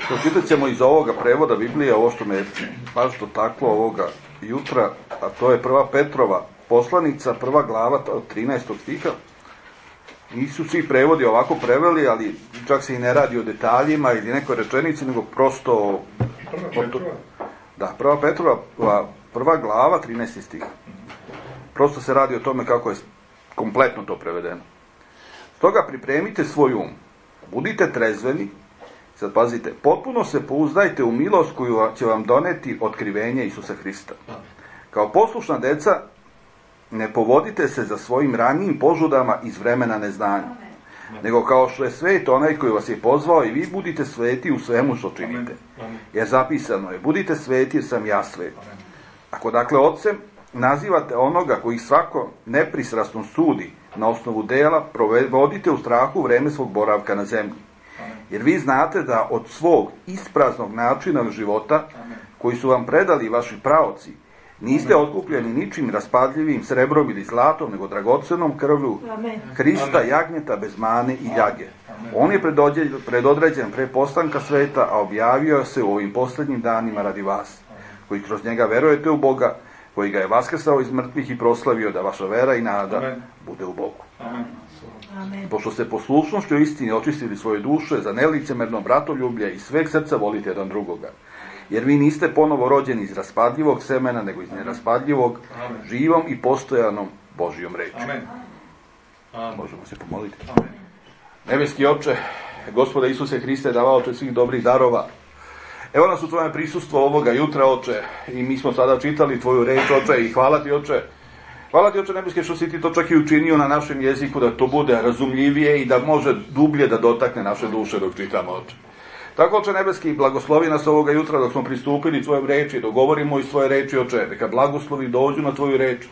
Pročitat ćemo iz ovoga prevoda Biblije ovo što me baš dotaklo ovoga jutra, a to je 1. Petrova poslanica, 1. glava od 13. stiha. Nisu svi prevodi ovako preveli, ali čak se i ne radi o detaljima ili nekoj rečenici, nego prosto... Da, 1. Petrova, 1. glava, 13. stih. Prosto se radi o tome kako je kompletno to prevedeno. Stoga pripremite svoj um, budite trezveni, sad pazite, potpuno se pouzdajte u milost koju će vam doneti otkrivenje Isusa Hrista. Kao poslušna deca, ne povodite se za svojim ranijim požudama iz vremena neznanja, nego kao što je svet onaj koji vas je pozvao, i vi budite sveti u svemu što činite. Jer zapisano je, budite sveti jer sam ja svet. Ako dakle ocem nazivate onoga koji svako nepristrasno sudi na osnovu dela, provodite u strahu vreme svog boravka na zemlji. Jer vi znate da od svog ispraznog načina života, koji su vam predali vaši praoci, niste otkupljeni ničim raspadljivim srebrom ili zlatom, nego dragocenom krvlju Hrista, jagnjeta bez mane i ljage. On je predodređen pre postanka sveta, a objavio se u ovim posljednjim danima radi vas, koji kroz njega verujete u Boga, koji ga je vaskrsao iz mrtvih i proslavio, da vaša vera i nada bude u Bogu. Amen. Pošto ste poslušnošću istini očistili svoje duše za nelicemerno bratoljublje i sveg srca volite jedan drugoga. Jer vi niste ponovo rođeni iz raspadljivog semena, nego iz neraspadljivog, živom i postojanom Božijom reči. Možemo se pomoliti. Nebeski Oče, Gospode Isuse Hriste, davaoče svih dobrih darova, evo nas u Tvojem prisustvu ovoga jutra, Oče, i mi smo sada čitali Tvoju reč, Oče, i hvala Ti, Oče. Hvala Ti, Oče Nebeski, što si Ti to čak i učinio na našem jeziku, da to bude razumljivije i da može dublje da dotakne naše duše dok čitamo, Oče. Tako, Oče Nebeski, blagoslovi nas ovoga jutra dok smo pristupili Tvojoj reči, dok govorimo iz Tvoje reči, Oče, neka blagoslovi dođu na Tvoju reč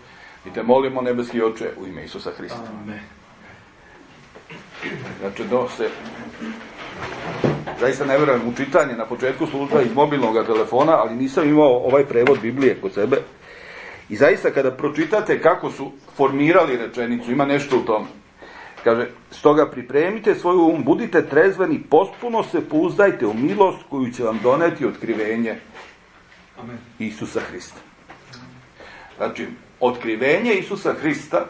i Te molimo, Nebeski Oče, u ime Isusa Hrista. Amen. Znači, zaista ne vjerujem u čitanje na početku služba iz mobilnog telefona, ali nisam imao ovaj prevod Biblije kod sebe. I zaista kada pročitate kako su formirali rečenicu, ima nešto u tome. Kaže, stoga pripremite svoju um, budite trezveni, potpuno se pouzdajte u milost koju će vam doneti otkrivenje Isusa Hrista. Znači, otkrivenje Isusa Hrista,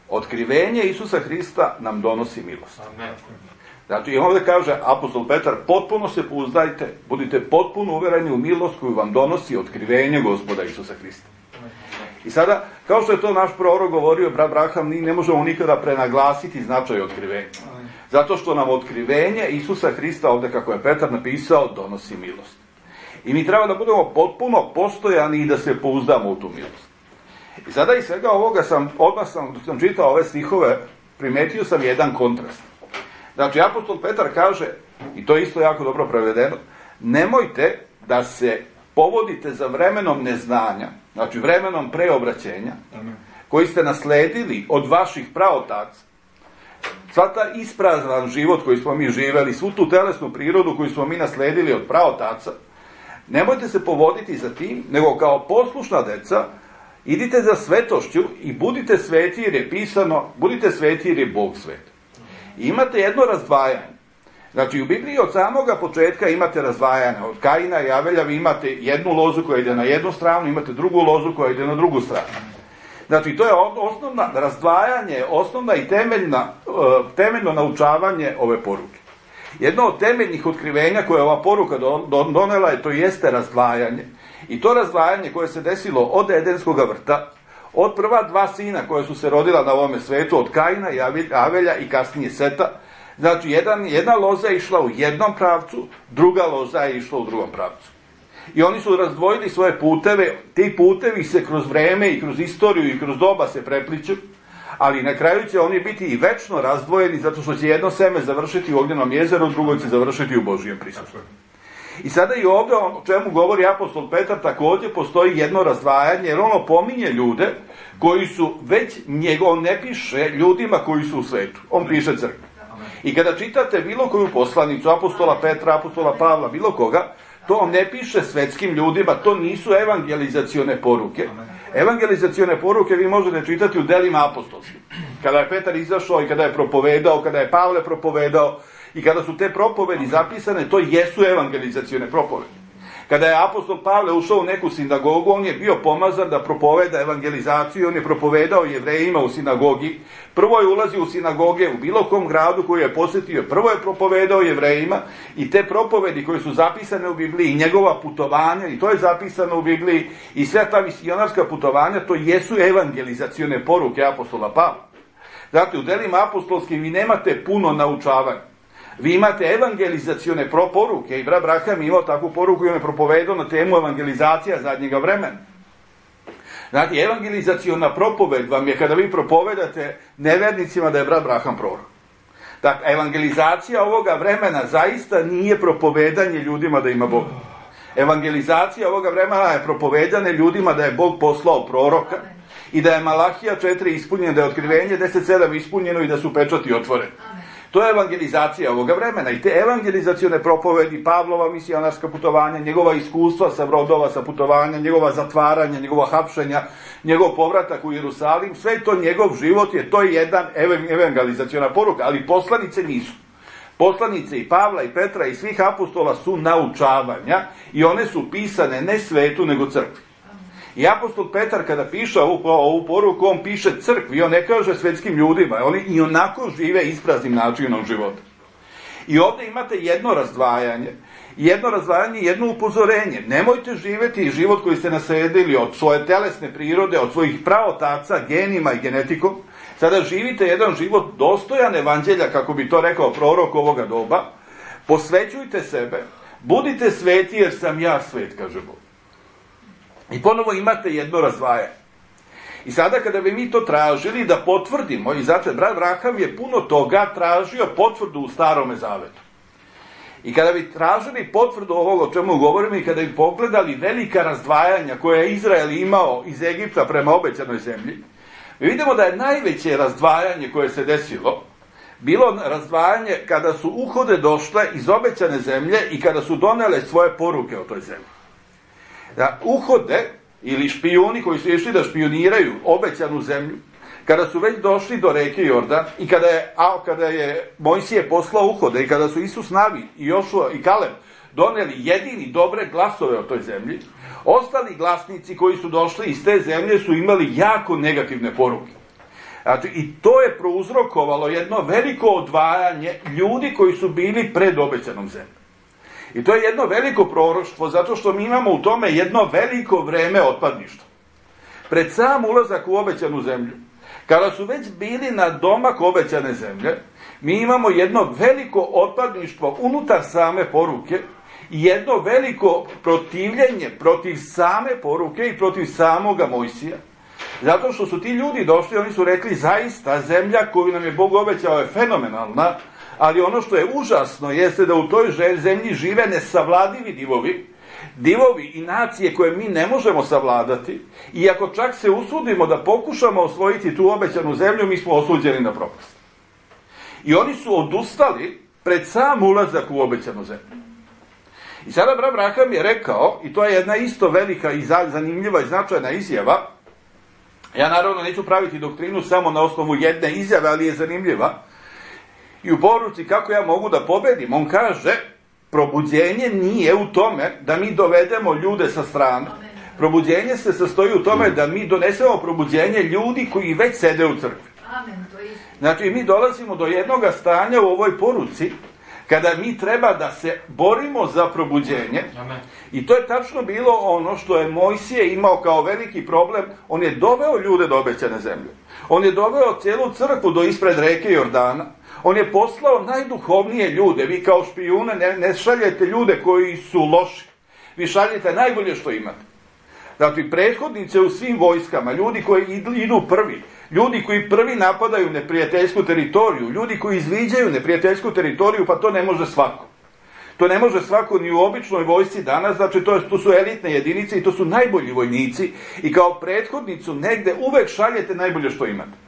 otkrivenje Isusa Hrista nam donosi milost. Znači, i ovdje kaže apostol Petar, potpuno se pouzdajte, budite potpuno uvjereni u milost koju vam donosi otkrivenje Gospoda Isusa Hrista. I sada, kao što je to naš prorok govorio, brat Braham, mi ne možemo nikada prenaglasiti značaj otkrivenja. Zato što nam otkrivenje Isusa Hrista, ovdje kako je Petar napisao, donosi milost. I mi treba da budemo potpuno postojani i da se pouzdamo u tu milost. I sada iz svega ovoga dok sam čitao ove stihove, primetio sam jedan kontrast. Znači, apostol Petar kaže, i to je isto jako dobro prevedeno, nemojte da se povodite za vremenom neznanja, znači vremenom preobraćenja, koji ste nasledili od vaših praotaca. Sva ta isprazan život koji smo mi živeli, svu tu telesnu prirodu koju smo mi nasledili od praotaca, nemojte se povoditi za tim, nego kao poslušna deca, idite za svetošću i budite sveti jer je pisano, budite sveti jer je Bog svet. I imate jedno razdvajanje. Znači, u Bibliji od samoga početka imate razdvajanje. Od Kaina i Avelja vi imate jednu lozu koja ide na jednu stranu, imate drugu lozu koja ide na drugu stranu. Znači, to je osnovna razdvajanje, osnovna i temeljno naučavanje ove poruke. Jedno od temeljnih otkrivenja koje ova poruka donela je, to jeste razdvajanje. I to razdvajanje koje se desilo od Edenskog vrta, od prva dva sina koja su se rodila na ovome svetu, od Kaina i Avelja i kasnije Seta. Znači, jedna loza je išla u jednom pravcu, druga loza je išla u drugom pravcu. I oni su razdvojili svoje puteve, ti putevi se kroz vreme i kroz istoriju i kroz doba se prepliću, ali na kraju će oni biti i večno razdvojeni, zato što će jedno seme završiti u ognjenom jezeru, drugo će završiti u Božijem prisustvu. I sada i ovdje, o čemu govori apostol Petar, također postoji jedno razdvajanje, jer on opominje ljude koji su već, on ne piše ljudima koji su u svetu, on piše crkvi. I kada čitate bilo koju poslanicu, apostola Petra, apostola Pavla, bilo koga, to on ne piše svetskim ljudima, to nisu evangelizacione poruke. Evangelizacione poruke vi možete čitati u delima apostolskim. Kada je Petar izašao i kada je propovedao, kada je Pavle propovedao, I kada su te propovedi zapisane, to jesu evangelizacione propovedi. Kada je apostol Pavle ušao u neku sinagogu, on je bio pomazan da propoveda evangelizaciju, on je propovedao Jevrejima u sinagogi. Prvo je ulazio u sinagoge u bilo kom gradu koji je posjetio, prvo je propovedao Jevrejima i te propovedi koje su zapisane u Bibliji, i njegova putovanja, i to je zapisano u Bibliji, i sve ta misionarska putovanja, to jesu evangelizacione poruke apostola Pavla. Znate, u delima apostolskim vi nemate puno naučavanja. Vi imate evangelizacione poruke i brat Braham imao takvu poruku i on je propovedao na temu evangelizacija zadnjega vremena. Znate, evangelizaciona propoved vam je kada vi propovedate nevernicima da je brat Braham prorok. Dakle, evangelizacija ovoga vremena zaista nije propovedanje ljudima da ima Boga. Evangelizacija ovoga vremena je propovedanje ljudima da je Bog poslao proroka i da je Malahija 4 ispunjeno, da je Otkrivenje 10.7 ispunjeno i da su pečati otvoreni. To je evangelizacija ovoga vremena i te evangelizacione propovedi, Pavlova misionarska putovanja, njegova iskustva sa brodova, sa putovanja, njegova zatvaranja, njegova hapšenja, njegov povratak u Jerusalim, sve to njegov život je, to je jedan evangelizaciona poruka, ali poslanice nisu. Poslanice i Pavla i Petra i svih apostola su naučavanja i one su pisane ne svetu nego crkvi. I apostol Petar kada piše ovu poruku, on piše crkvi, on ne kaže svetskim ljudima, oni i onako žive ispraznim načinom života. I ovdje imate jedno razdvajanje i jedno upozorenje. Nemojte živjeti život koji ste nasledili od svoje telesne prirode, od svojih praotaca, genima i genetikom. Sada živite jedan život dostojan evanđelja, kako bi to rekao prorok ovoga doba. Posvećujte sebe, budite sveti jer sam ja svet, kaže Bog. I ponovo imate jedno razdvajanje. I sada kada bi mi to tražili da potvrdimo, i zato brat Braham je puno toga tražio potvrdu u Starome Zavetu. I kada bi tražili potvrdu ovoga o čemu govorimo i kada bi pogledali velika razdvajanja koje je Izrael imao iz Egipta prema obećanoj zemlji, mi vidimo da je najveće razdvajanje koje se desilo bilo razdvajanje kada su uhode došle iz obećane zemlje i kada su donele svoje poruke o toj zemlji. Da uhode ili špijuni koji su išli da špioniraju obećanu zemlju, kada su već došli do reke Jordan i kada je Mojsije poslao uhode i kada su Isus Navi i Jošua i Kaleb doneli jedini dobre glasove o toj zemlji, ostali glasnici koji su došli iz te zemlje su imali jako negativne poruke. Znači, i to je prouzrokovalo jedno veliko odvajanje ljudi koji su bili pred obećanom zemljom. I to je jedno veliko proroštvo, zato što mi imamo u tome jedno veliko vreme otpadništva. Pred sam ulazak u obećanu zemlju, kada su već bili na domak obećane zemlje, mi imamo jedno veliko otpadništvo unutar same poruke i jedno veliko protivljenje protiv same poruke i protiv samoga Mojsija. Zato što su ti ljudi došli, oni su rekli zaista zemlja koju nam je Bog obećao je fenomenalna, ali ono što je užasno jeste da u toj zemlji žive nesavladivi divovi i nacije koje mi ne možemo savladati, i ako čak se usudimo da pokušamo osvojiti tu obećanu zemlju, mi smo osuđeni na propast. I oni su odustali pred sam ulazak u obećanu zemlju. I sada brat Braham je rekao, i to je jedna isto velika i zanimljiva i značajna izjava, ja naravno neću praviti doktrinu samo na osnovu jedne izjave, ali je zanimljiva, i u poruci kako ja mogu da pobedim, on kaže, probuđenje nije u tome da mi dovedemo ljude sa strane. Probuđenje se sastoji u tome da mi donesemo probuđenje ljudi koji već sede u crkvi. Znači, mi dolazimo do jednog stanja u ovoj poruci kada mi treba da se borimo za probuđenje. I to je tačno bilo ono što je Mojsije imao kao veliki problem. On je doveo ljude do obećane zemlje. On je doveo cijelu crkvu do ispred reke Jordana. On je poslao najduhovnije ljude. Vi kao špijune ne šaljete ljude koji su loši. Vi šaljete najbolje što imate. Znači, prethodnice u svim vojskama, ljudi koji idu prvi, ljudi koji prvi napadaju neprijateljsku teritoriju, ljudi koji izviđaju neprijateljsku teritoriju, pa to ne može svako. To ne može svako ni u običnoj vojsci danas, znači to su elitne jedinice i to su najbolji vojnici i kao prethodnicu negde uvek šaljete najbolje što imate.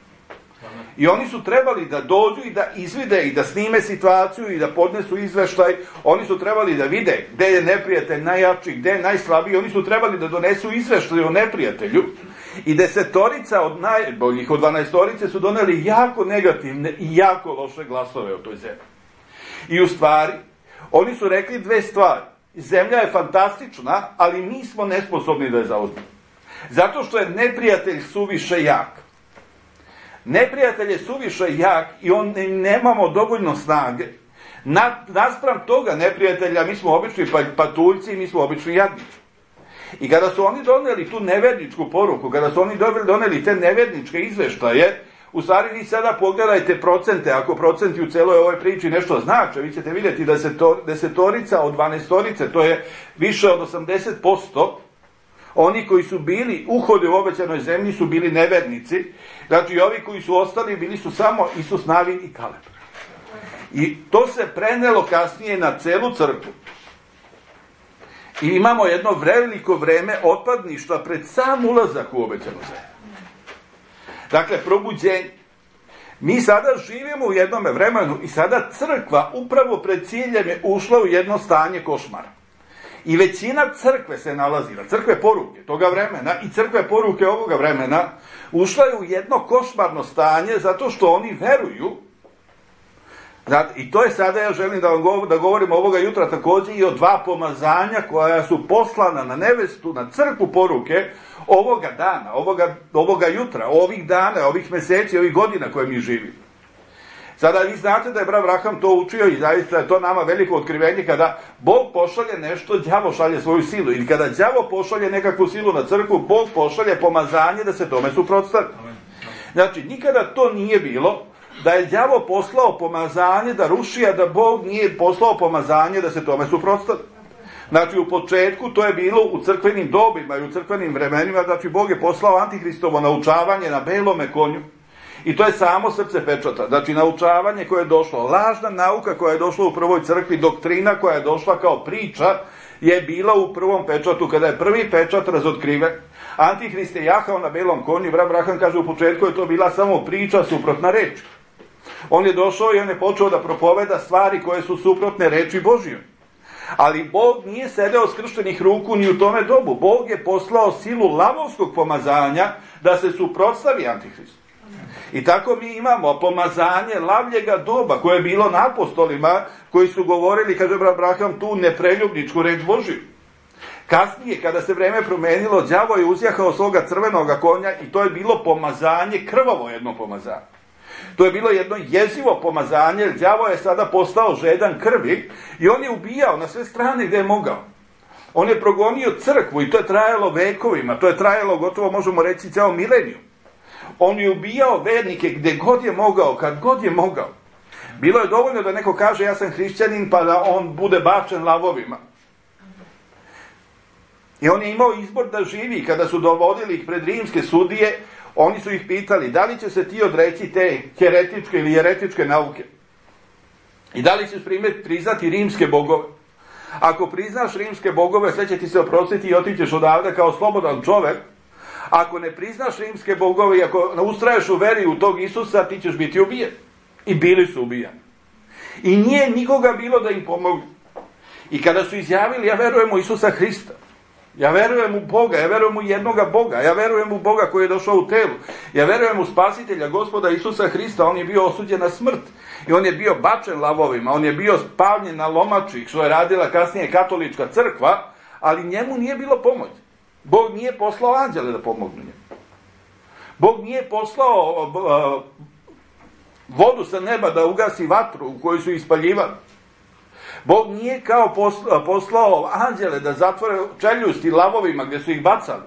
I oni su trebali da dođu i da izvide i da snime situaciju i da podnesu izveštaj. Oni su trebali da vide gde je neprijatelj najjači, gde je najslabiji. Oni su trebali da donesu izveštaj o neprijatelju. I 10 od najboljih, od 12 su doneli jako negativne i jako loše glasove o toj zemlji. I u stvari, oni su rekli dve stvari. Zemlja je fantastična, ali mi smo nesposobni da je zauzmemo. Zato što je neprijatelj suviše jak. Neprijatelj je suviše jak i nemamo dovoljno snage. Naspram toga neprijatelja mi smo obični patuljci i mi smo obični jadnici. I kada su oni doneli tu neverničku poruku, kada su oni doneli te neverničke izveštaje, u stvari vi sada pogledajte procente, ako procenti u celoj ovoj priči nešto znače, vi ćete vidjeti da desetorica od 12-torice, to je više od 80%, oni koji su bili uhodi u obećanoj zemlji su bili nevernici, znači ovi koji su ostali bili su samo Isus, Navin i Kaleb. I to se prenelo kasnije na celu crkvu. I imamo jedno veliko vreme otpadništva pred sam ulazak u obećanu zemlju. Dakle, probuđenje. Mi sada živimo u jednom vremenu i sada crkva upravo pred ciljem je ušla u jedno stanje košmara. I većina crkve se nalazila, crkve poruke toga vremena i crkve poruke ovoga vremena, ušla je u jedno košmarno stanje zato što oni veruju. I to je sada, ja želim da govorim ovoga jutra također i o dva pomazanja koja su poslana na nevestu, na crkvu poruke ovoga dana, ovoga jutra, ovih dana, ovih meseci, ovih godina koje mi živimo. Sada vi znate da je brat Abraham to učio i zaista je to nama veliko otkrivenje kada Bog pošalje nešto, đavo šalje svoju silu. Ili kada đavo pošalje nekakvu silu na crkvu, Bog pošalje pomazanje da se tome suprotstavi. Znači, nikada to nije bilo da je đavo poslao pomazanje da ruši, a da Bog nije poslao pomazanje da se tome suprotstavi. Znači, u početku to je bilo u crkvenim dobima i u crkvenim vremenima, znači Bog je poslao Antihristovo naučavanje na belome konju. I to je samo srce pečata. Znači, naučavanje koje je došlo, lažna nauka koja je došla u prvoj crkvi, doktrina koja je došla kao priča, je bila u prvom pečatu, kada je prvi pečat razotkriven. Antihrist je jahao na belom konju, brat Abraham kaže u početku je to bila samo priča, suprotna reč. On je došao i on je počeo da propoveda stvari koje su suprotne reči Božjoj. Ali Bog nije sedeo skrštenih ruku ni u tome dobu. Bog je poslao silu lavovskog pomazanja da se suprotstavi Antihristu. I tako mi imamo pomazanje lavljega doba koje je bilo na apostolima koji su govorili, kaže brat Abraham, tu nepreljubničku reč Božju. Kasnije, kada se vreme promenilo, đavo je uzjahao svoga crvenoga konja i to je bilo pomazanje, krvavo jedno pomazanje. To je bilo jedno jezivo pomazanje, jer đavo je sada postao žedan krvi i on je ubijao na sve strane gdje je mogao. On je progonio crkvu i to je trajalo vekovima, to je trajalo gotovo, možemo reći, ceo mileniju. On je ubijao vernike gdje god je mogao, kad god je mogao. Bilo je dovoljno da neko kaže ja sam hrišćanin pa da on bude bačen lavovima. I on je imao izbor da živi. Kada su dovodili ih pred rimske sudije, oni su ih pitali da li će se ti odreći te heretičke ili jeretičke nauke. I da li ćeš priznati rimske bogove. Ako priznaš rimske bogove, sve će ti se oprostiti i otićeš odavde kao slobodan čovek. Ako ne priznaš rimske bogove i ako ustraješ u veri u tog Isusa, ti ćeš biti ubijen. I bili su ubijani. I nije nikoga bilo da im pomogu. I kada su izjavili, ja verujem u Isusa Hrista, ja verujem u Boga, ja verujem u jednoga Boga, ja verujem u Boga koji je došao u telu, ja verujem u Spasitelja, Gospoda Isusa Hrista, on je bio osuđen na smrt i on je bio bačen lavovima, on je bio spavljen na lomači, što je radila kasnije katolička crkva, ali njemu nije bilo pomoć. Bog nije poslao anđele da pomognu njemu. Bog nije poslao vodu sa neba da ugasi vatru u kojoj su ispaljivali. Bog nije kao poslao anđele da zatvore čeljusti lavovima gdje su ih bacali.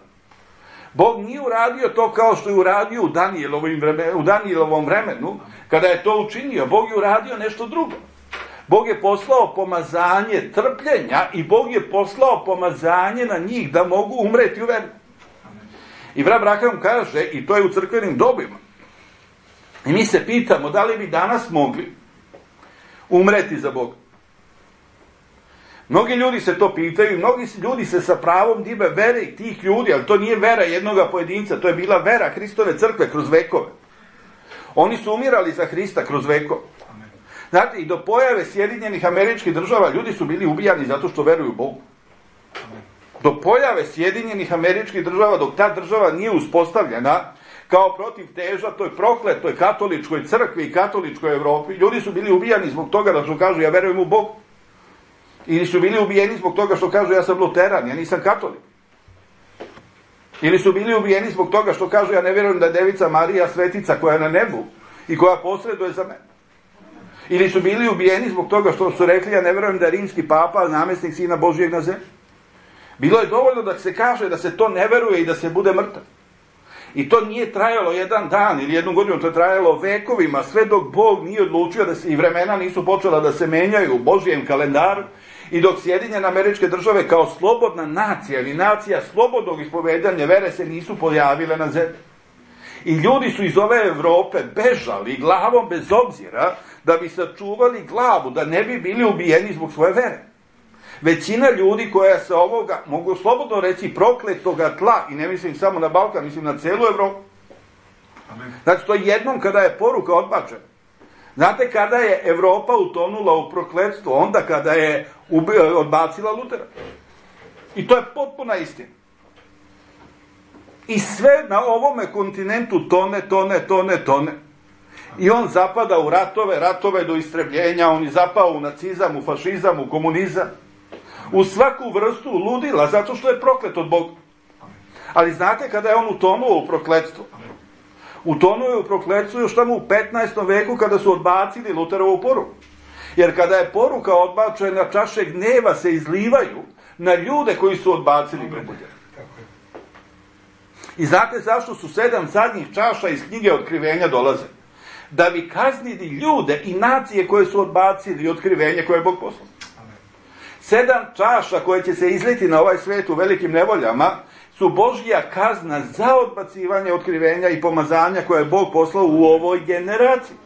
Bog nije uradio to kao što je uradio u Danijelovom vremenu, kada je to učinio. Bog je uradio nešto drugo. Bog je poslao pomazanje trpljenja i Bog je poslao pomazanje na njih da mogu umreti u veri. I brat Abraham kaže, i to je u crkvenim dobima, i mi se pitamo da li bi danas mogli umreti za Boga. Mnogi ljudi se to pitaju, mnogi ljudi se sa pravom dive vere i tih ljudi, ali to nije vera jednoga pojedinca, to je bila vera Hristove crkve kroz vekove. Oni su umirali za Hrista kroz vekove. Znate, i do pojave Sjedinjenih Američkih Država ljudi su bili ubijani zato što veruju u Bogu. Do pojave Sjedinjenih Američkih Država, dok ta država nije uspostavljena, kao protiv teža toj prokletoj katoličkoj crkvi i katoličkoj Evropi. Ljudi su bili ubijani zbog toga da su kažu ja verujem u Bog. Ili su bili ubijeni zbog toga što kažu ja sam luteran, ja nisam katolik. Ili su bili ubijeni zbog toga što kažu ja ne vjerujem da je Devica Marija svetica koja je na nebu i koja posreduje za mene. Ili su bili ubijeni zbog toga što su rekli ja ne vjerujem da je rimski papa namjesnik Sina Božijeg na zemlji. Bilo je dovoljno da se kaže da se to ne veruje i da se bude mrtav. I to nije trajalo jedan dan ili jednu godinu, to je trajalo vekovima, sve dok Bog nije odlučio da se i vremena nisu počela da se menjaju u Božijem kalendaru i dok Sjedinjene Američke Države kao slobodna nacija ili nacija slobodnog ispovedanja vere se nisu pojavile na zemlji. I ljudi su iz ove Evrope bežali glavom bez obzira da bi sačuvali glavu, da ne bi bili ubijeni zbog svoje vere. Većina ljudi koja se ovoga, mogu slobodno reći, prokletoga tla, i ne mislim samo na Balkan, mislim na celu Evropu. Znači, to je jednom kada je poruka odbačena. Znate kada je Evropa utonula u prokletstvo? Onda kada je odbacila Lutera. I to je potpuna istina. I sve na ovome kontinentu tone. I on zapada u ratove do istrebljenja, on je zapao u nacizam, u fašizam, u komunizam. U svaku vrstu ludila, zato što je proklet od Boga. Ali znate kada je on utonuo u prokletstvo? Utonuo je u prokletstvu još tamo u 15. veku kada su odbacili Luterovu poruku. Jer kada je poruka odbačena, čaše gneva se izlivaju na ljude koji su odbacili probuđenje. I znate zašto su 7 zadnjih čaša iz knjige Otkrivenja dolaze? Da bi kaznili ljude i nacije koje su odbacili otkrivenje koje je Bog poslao. 7 čaša koje će se izliti na ovaj svijet u velikim nevoljama su Božja kazna za odbacivanje otkrivenja i pomazanja koje je Bog poslao u ovoj generaciji.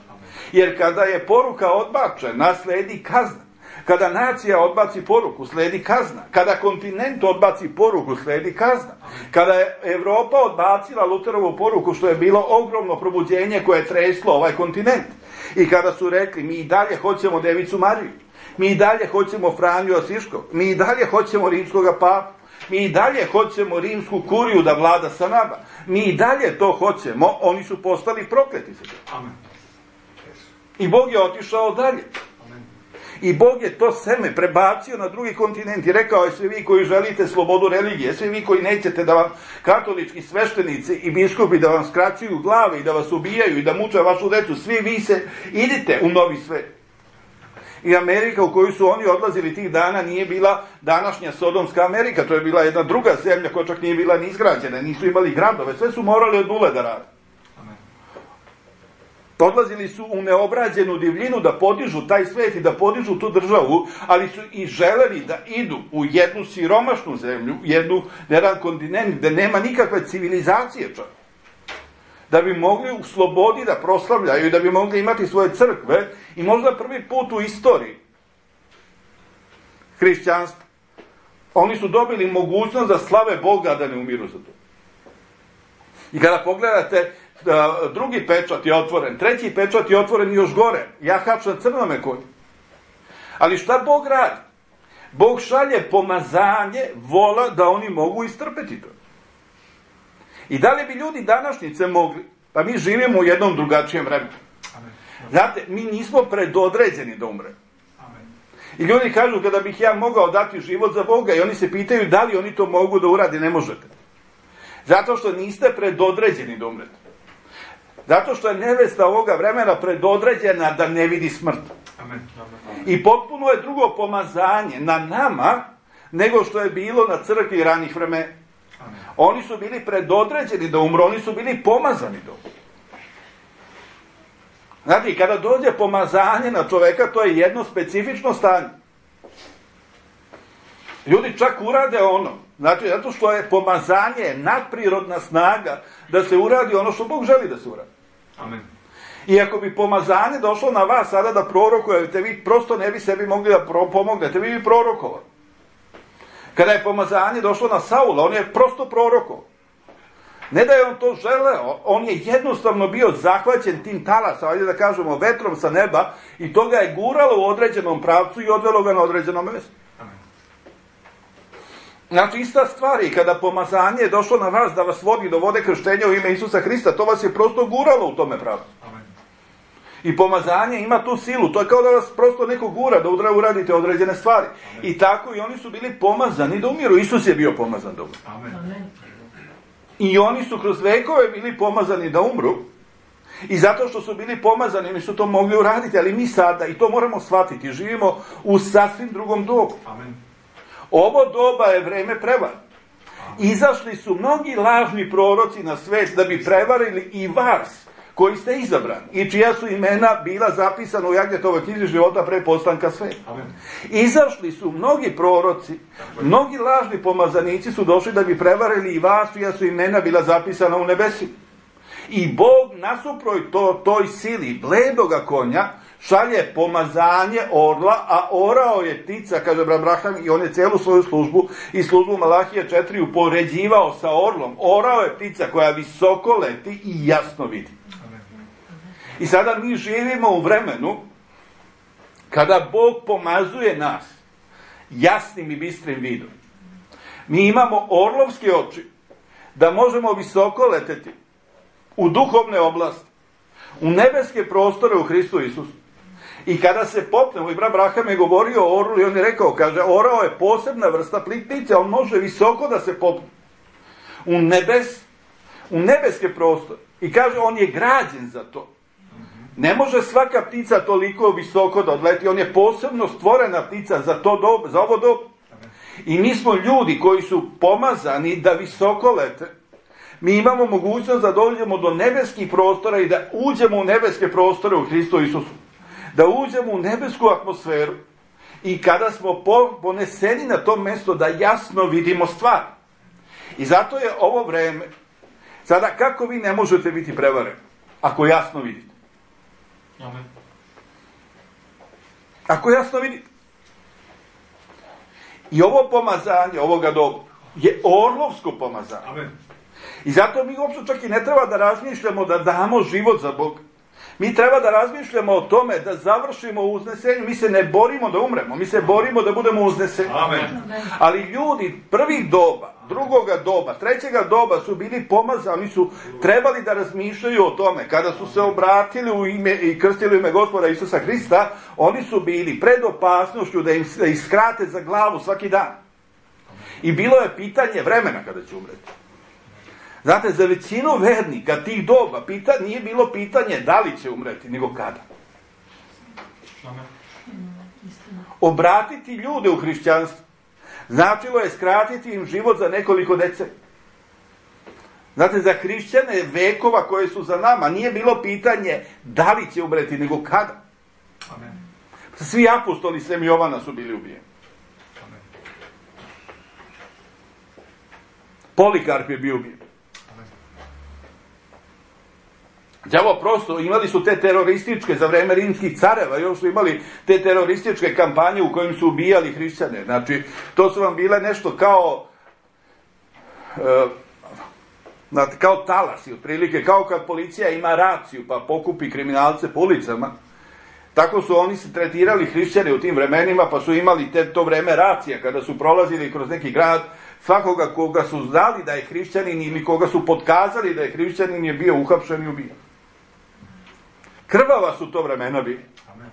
Jer kada je poruka odbačena, sledi kazna. Kada nacija odbaci poruku, sledi kazna. Kada kontinent odbaci poruku, sledi kazna. Kada je Evropa odbacila Luterovu poruku, što je bilo ogromno probuđenje koje je treslo ovaj kontinent. I kada su rekli, mi i dalje hoćemo Devicu Mariju, mi i dalje hoćemo Franju Asiškog, mi i dalje hoćemo rimskog papu, mi i dalje hoćemo rimsku kuriju da vlada sa nama, mi i dalje to hoćemo, oni su postali prokleti. Amen. I Bog je otišao dalje. I Bog je to seme prebacio na drugi kontinent i rekao je svi vi koji želite slobodu religije, svi vi koji nećete da vam katolički sveštenici i biskupi da vam skraćuju glave i da vas ubijaju i da muče vašu decu, svi vi se idite u novi svet. I Amerika u koju su oni odlazili tih dana nije bila današnja Sodomska Amerika, to je bila jedna druga zemlja koja čak nije bila ni izgrađena, nisu imali gradove, sve su morali od nule da rade. Odlazili su u neobrađenu divljinu da podižu taj svet i da podižu tu državu, ali su i želeli da idu u jednu siromašnu zemlju, jedan kontinent gde nema nikakve civilizacije čak. Da bi mogli u slobodi da proslavljaju i da bi mogli imati svoje crkve i možda prvi put u istoriji hrišćanstva. Oni su dobili mogućnost da slave Boga, da ne umiru za to. I kada pogledate, drugi pečat je otvoren, treći pečat je otvoren još gore, jahač na crnome konju. Ali šta Bog radi? Bog šalje pomazanje, vola da oni mogu istrpeti to. I da li bi ljudi današnjice mogli? Pa mi živimo u jednom drugačijem vremenu. Znate, mi nismo predodređeni da umremo. I ljudi kažu kada bih ja mogao dati život za Boga i oni se pitaju da li oni to mogu da urade, ne možete. Zato što niste predodređeni da umrete. Zato što je nevesta ovoga vremena predodređena da ne vidi smrt. I potpuno je drugo pomazanje na nama nego što je bilo na crkvi ranih vremena. Oni su bili predodređeni da umru, oni su bili pomazani da umru. Znate, kada dođe pomazanje na čoveka, to je jedno specifično stanje. Ljudi čak urade ono, znači, zato što je pomazanje nadprirodna snaga da se uradi ono što Bog želi da se uradi. Amen. I ako bi pomazanje došlo na vas sada da prorokujete, vi prosto ne bi sebi mogli da pomognete, vi bi prorokovali. Kada je pomazanje došlo na Saula, on je prosto prorokovao. Ne da je on to želeo, on je jednostavno bio zahvaćen tim talasom, ajde da kažemo vetrom sa neba, i to ga je guralo u određenom pravcu i odvelo ga na određeno mesto. Znači, ista stvar je kada pomazanje je došlo na vas da vas vodi do vode krštenja u ime Isusa Hrista, to vas je prosto guralo u tome pravcu. I pomazanje ima tu silu, to je kao da vas prosto neko gura da uradite određene stvari. I tako i oni su bili pomazani da umiru. Isus je bio pomazan da umiru. I oni su kroz vekove bili pomazani da umru. I zato što su bili pomazani, oni su to mogli uraditi, ali mi sada, i to moramo shvatiti, živimo u sasvim drugom dobu. Ovo doba je vreme prevare. Izašli su mnogi lažni proroci na svet da bi prevarili i vas, koji ste izabrani i čija su imena bila zapisana u Jagnetovoj knjizi života pre postanka sveta. Izašli su mnogi proroci, mnogi lažni pomazanici su došli da bi prevarili i vas, čija su imena bila zapisana u nebesima. I Bog nasuprot toj sili bledoga konja šalje pomazanje orla, a orao je ptica, kaže Abraham, i on je celu svoju službu i službu Malahije 4 upoređivao sa orlom. Orao je ptica koja visoko leti i jasno vidi. I sada mi živimo u vremenu kada Bog pomazuje nas jasnim i bistrim vidom. Mi imamo orlovske oči da možemo visoko leteti u duhovne oblasti, u nebeske prostore u Hristu Isusu. I kada se popnemo, i brat Abraham je govorio o orlu i on je rekao, kaže, orao je posebna vrsta ptice, on može visoko da se popne u nebeske prostore. I kaže, on je građen za to. Ne može svaka ptica toliko visoko da odleti, on je posebno stvorena ptica za ovo dobu. I mi smo ljudi koji su pomazani da visoko lete. Mi imamo mogućnost da dođemo do nebeskih prostora i da uđemo u nebeske prostore u Hristu Isusu. Da uđemo u nebesku atmosferu i kada smo poneseni na to mjesto da jasno vidimo stvar. I zato je ovo vreme. Sada, kako vi ne možete biti prevareni ako jasno vidite? Amen. Ako jasno vidite. I ovo pomazanje ovoga doba je orlovsko pomazanje. Amen. I zato mi uopšte čak i ne treba da razmišljamo da damo život za Boga. Mi treba da razmišljamo o tome da završimo u uznesenju. Mi se ne borimo da umremo, mi se borimo da budemo uzneseni. Amen. Ali ljudi prvih doba, drugoga doba, trećega doba su bili pomazani, oni su trebali da razmišljaju o tome. Kada su se obratili u ime i krstili u ime Gospoda Isusa Hrista, oni su bili pred opasnošću da im iskrate za glavu svaki dan. I bilo je pitanje vremena kada će umreti. Znate, za većinu vernika tih doba nije bilo pitanje da li će umreti, nego kada. Obratiti ljude u hrišćanstvo značilo je skratiti im život za nekoliko decenija. Znate, za hrišćane vekova koje su za nama nije bilo pitanje da li će umreti, nego kada. Amen. Svi apostoli sem Jovana su bili ubijeni. Amen. Polikarp je bio ubijen. Đavo prosto, imali su te terorističke, za vreme rimskih careva, još su imali te terorističke kampanje u kojim su ubijali hrišćane. Znači, to su vam bile nešto kao talasi, otprilike, kao kad policija ima raciju, pa pokupi kriminalce po ulicama. Tako su oni se tretirali hrišćane u tim vremenima, pa su imali to vreme racija, kada su prolazili kroz neki grad, svakoga koga su znali da je hrišćanin ili koga su potkazali da je hrišćanin je bio uhapšen i ubijen. Krvava su to vremena bili. Amen.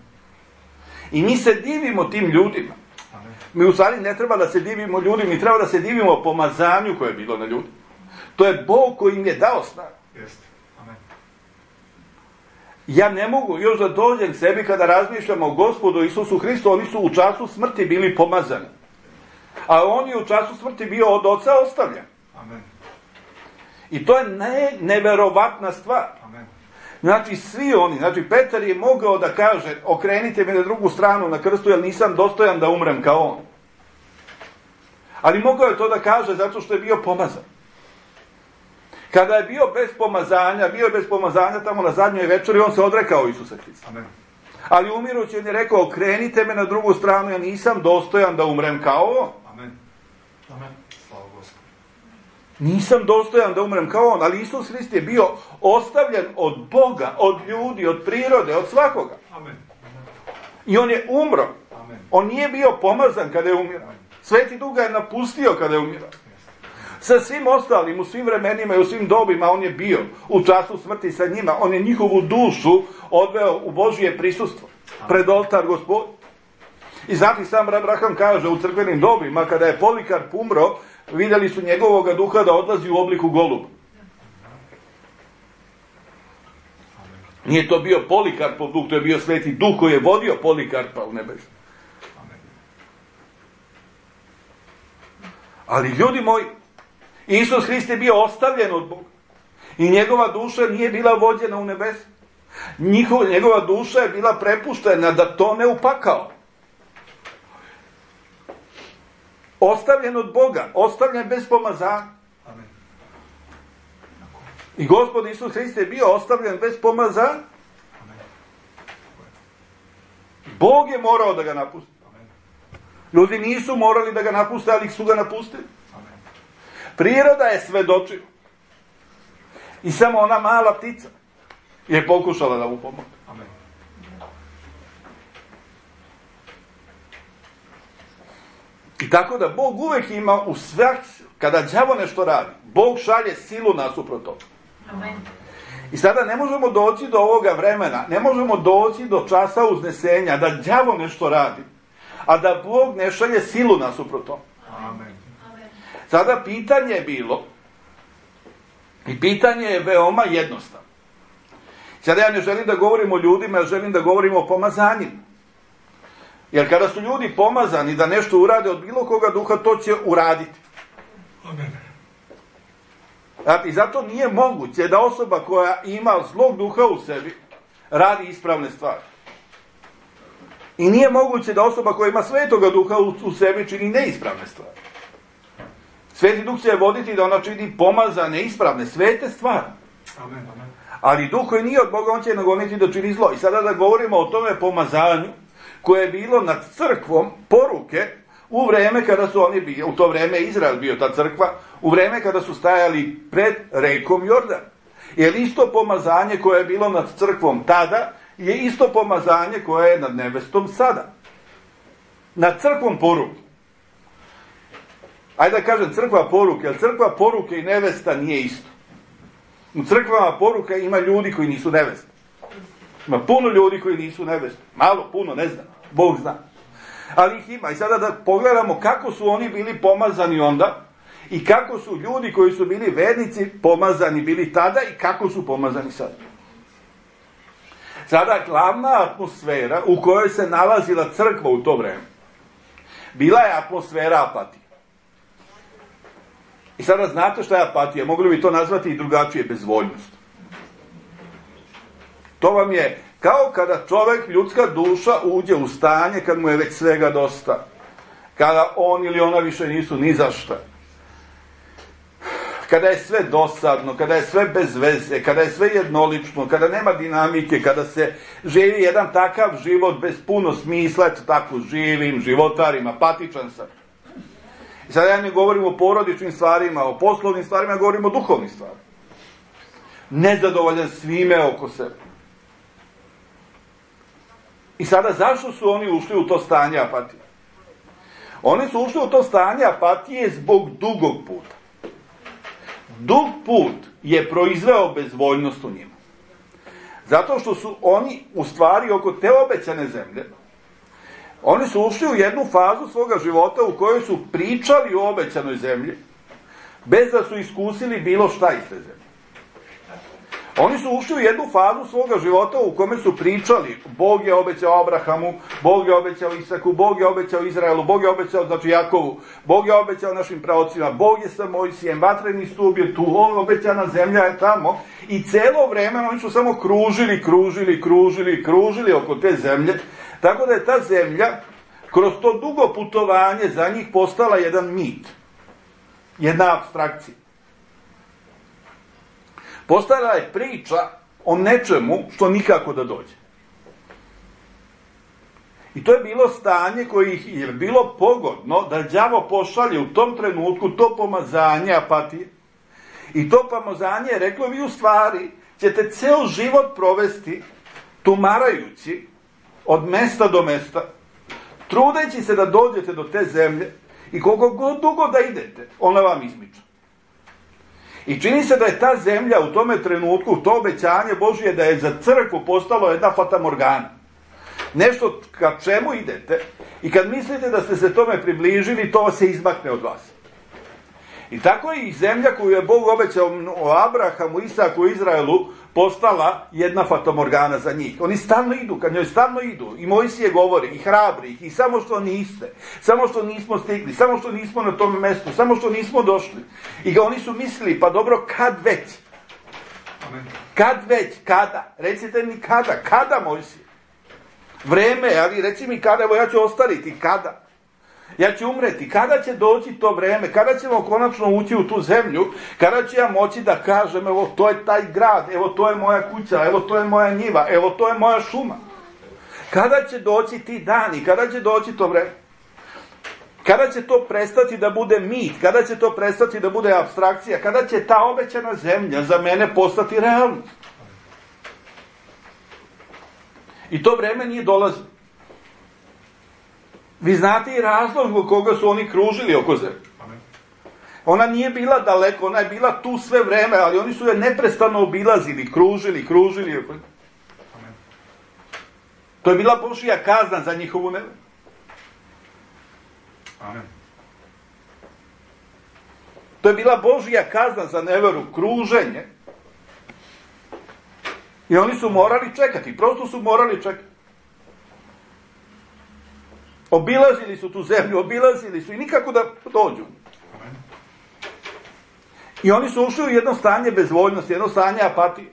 I mi se divimo tim ljudima. Amen. Mi u stvari ne treba da se divimo ljudima, mi treba da se divimo pomazanju koje je bilo na ljudi. To je Bog koji im je dao snagu. Jeste. Amen. Ja ne mogu još da dođem sebi kada razmišljamo o Gospodu Isusu Hristu, oni su u času smrti bili pomazani. A on je u času smrti bio od Oca ostavljen. Amen. I to je neverovatna stvar. Amen. Znači, svi oni, znači, Petar je mogao da kaže, okrenite me na drugu stranu na krstu, jer nisam dostojan da umrem kao on. Ali mogao je to da kaže zato što je bio pomazan. Kada je bio bez pomazanja tamo na zadnjoj večeri, on se odrekao Isusa Hrista. Amen. Ali umirući on je rekao, okrenite me na drugu stranu, ja nisam dostojan da umrem kao on. Amen. Amen. Slava Gospodu. Nisam dostojan da umrem kao on, ali Isus Hrist je bio ostavljen od Boga, od ljudi, od prirode, od svakoga. Amen. I on je umro. Amen. On nije bio pomazan kada je umro. Sveti Duh ga je napustio kada je umirao. Sa svim ostalim, u svim vremenima i u svim dobima on je bio u času smrti sa njima. On je njihovu dušu odveo u Božje prisustvo, pred oltar Gospod. I znate, sam Abraham kaže u crkvenim dobima, kada je Polikarp umro, vidjeli su njegovoga duha da odlazi u obliku goluba. Nije to bio Polikarpov duh, to je bio Sveti Duh koji je vodio Polikarpa u nebesu. Ali ljudi moji, Isus Hrist je bio ostavljen od Boga i njegova duša nije bila vođena u nebesu. Njegova duša je bila prepuštena da tone u pakao. Ostavljen od Boga, ostavljen bez pomazanja. I Gospod Isus Hrist je bio ostavljen bez pomazanja. Bog je morao da ga napusti. Ljudi nisu morali da ga napuste, ali su ga napustili. Priroda je svedočila. I samo ona mala ptica je pokušala da mu pomogne. I tako da Bog uvek ima u svak, kada đavo nešto radi, Bog šalje silu nasuprot toga. I sada ne možemo doći do ovoga vremena, ne možemo doći do časa uznesenja, da đavo nešto radi, a da Bog ne šalje silu nasuprot toga. Sada pitanje je bilo, i pitanje je veoma jednostavno. Sada ja ne želim da govorim o ljudima, ja želim da govorim o pomazanjima. Jer kada su ljudi pomazani da nešto urade od bilo koga duha, to će uraditi. I zato nije moguće da osoba koja ima zlog duha u sebi radi ispravne stvari. I nije moguće da osoba koja ima svetoga duha u sebi čini neispravne stvari. Sveti Duh će voditi da ona čini pomazane, ispravne, svete stvari. Ali Duh koji nije od Boga, on će nagoniti da čini zlo. I sada da govorimo o tome pomazanju koje je bilo nad crkvom poruke u vreme kada su oni bili, u to vreme Izrael bio ta crkva, u vreme kada su stajali pred rekom Jordan. Jer isto pomazanje koje je bilo nad crkvom tada je isto pomazanje koje je nad nevestom sada. Nad crkvom poruke. Ajde da kažem crkva poruke, jer crkva poruke i nevesta nije isto. U crkvama poruka ima ljudi koji nisu neveste. Ima puno ljudi koji nisu neveste. Malo, puno, ne znam. Bog zna. Ali ih ima. I sada da pogledamo kako su oni bili pomazani onda i kako su ljudi koji su bili vernici pomazani bili tada i kako su pomazani sada. Sada glavna atmosfera u kojoj se nalazila crkva u to vreme bila je atmosfera apatije. I sada znate šta je apatija? Mogli bi to nazvati i drugačije, bezvoljnost. To vam je kao kada čovjek, ljudska duša, uđe u stanje kad mu je već svega dosta. Kada on ili ona više nisu ni za šta. Kada je sve dosadno, kada je sve bez veze, kada je sve jednolično, kada nema dinamike, kada se živi jedan takav život bez puno smisla, eto tako živim, životarim, apatičan sam. I sada ja ne govorim o porodičnim stvarima, o poslovnim stvarima, ja govorim o duhovnim stvarima. Nezadovoljan svime oko sebe. I sada zašto su oni ušli u to stanje apatije? Oni su ušli u to stanje apatije zbog dugog puta. Dug put je proizveo bezvoljnost u njima. Zato što su oni u stvari oko te obećane zemlje, oni su ušli u jednu fazu svoga života u kojoj su pričali o obećanoj zemlji, bez da su iskusili bilo šta iz te zemlje. Oni su ušli u jednu fazu svoga života u kome su pričali, Bog je obećao Abrahamu, Bog je obećao Isaku, Bog je obećao Izraelu, Bog je obećao, znači Jakovu, Bog je obećao našim praocima, Bog je sa Mojsijem, vatreni stup je tu, obećana zemlja je tamo. I celo vreme oni su samo kružili oko te zemlje, tako da je ta zemlja kroz to dugo putovanje za njih postala jedan mit, jedna apstrakcija. Postala je priča o nečemu što nikako da dođe. I to je bilo stanje koje ih je bilo pogodno da đavo pošalje u tom trenutku to pomazanje apatije. I to pomazanje je reklo, vi u stvari ćete ceo život provesti tumarajući od mesta do mesta, trudeći se da dođete do te zemlje I koliko god dugo da idete, ona vam izmiča. I čini se da je ta zemlja u tome trenutku, to obećanje Božije da je za crkvu postalo jedna fatamorgana. Nešto ka čemu idete i kad mislite da ste se tome približili, to se izmakne od vas. I tako je i zemlja koju je Bog obećao o Abrahamu, Isaku i Izraelu postala jedna fatamorgana za njih. Oni stalno idu, kad njoj stalno idu. I Mojsije govori, i hrabri ih, i samo što niste, samo što nismo stigli, samo što nismo na tom mestu, samo što nismo došli. I oni su mislili, pa dobro, kad već? Amen. Kad već? Kada? Recite mi kada? Kada, Mojsije? Vreme, ali reci mi kada, evo ja ću ostariti, kada? Ja ću umreti, kada će doći to vreme, kada ćemo konačno ući u tu zemlju, kada ću ja moći da kažem, evo to je taj grad, evo to je moja kuća, evo to je moja njiva, evo to je moja šuma. Kada će doći ti dani, kada će doći to vreme? Kada će to prestati da bude mit, kada će to prestati da bude apstrakcija, kada će ta obećana zemlja za mene postati realnost? I to vreme nije dolazilo. Vi znate i razlog zbog koga su oni kružili oko zemlje. Ona nije bila daleko, ona je bila tu sve vreme, ali oni su je neprestano obilazili, kružili. To je bila Božja kazna za njihovu neveru. Amen. To je bila Božja kazna za neveru, kruženje. I oni su morali čekati, prosto su morali čekati. Obilazili su tu zemlju, obilazili su i nikako da dođu. I oni su ušli u jedno stanje bezvoljnosti, jedno stanje apatije.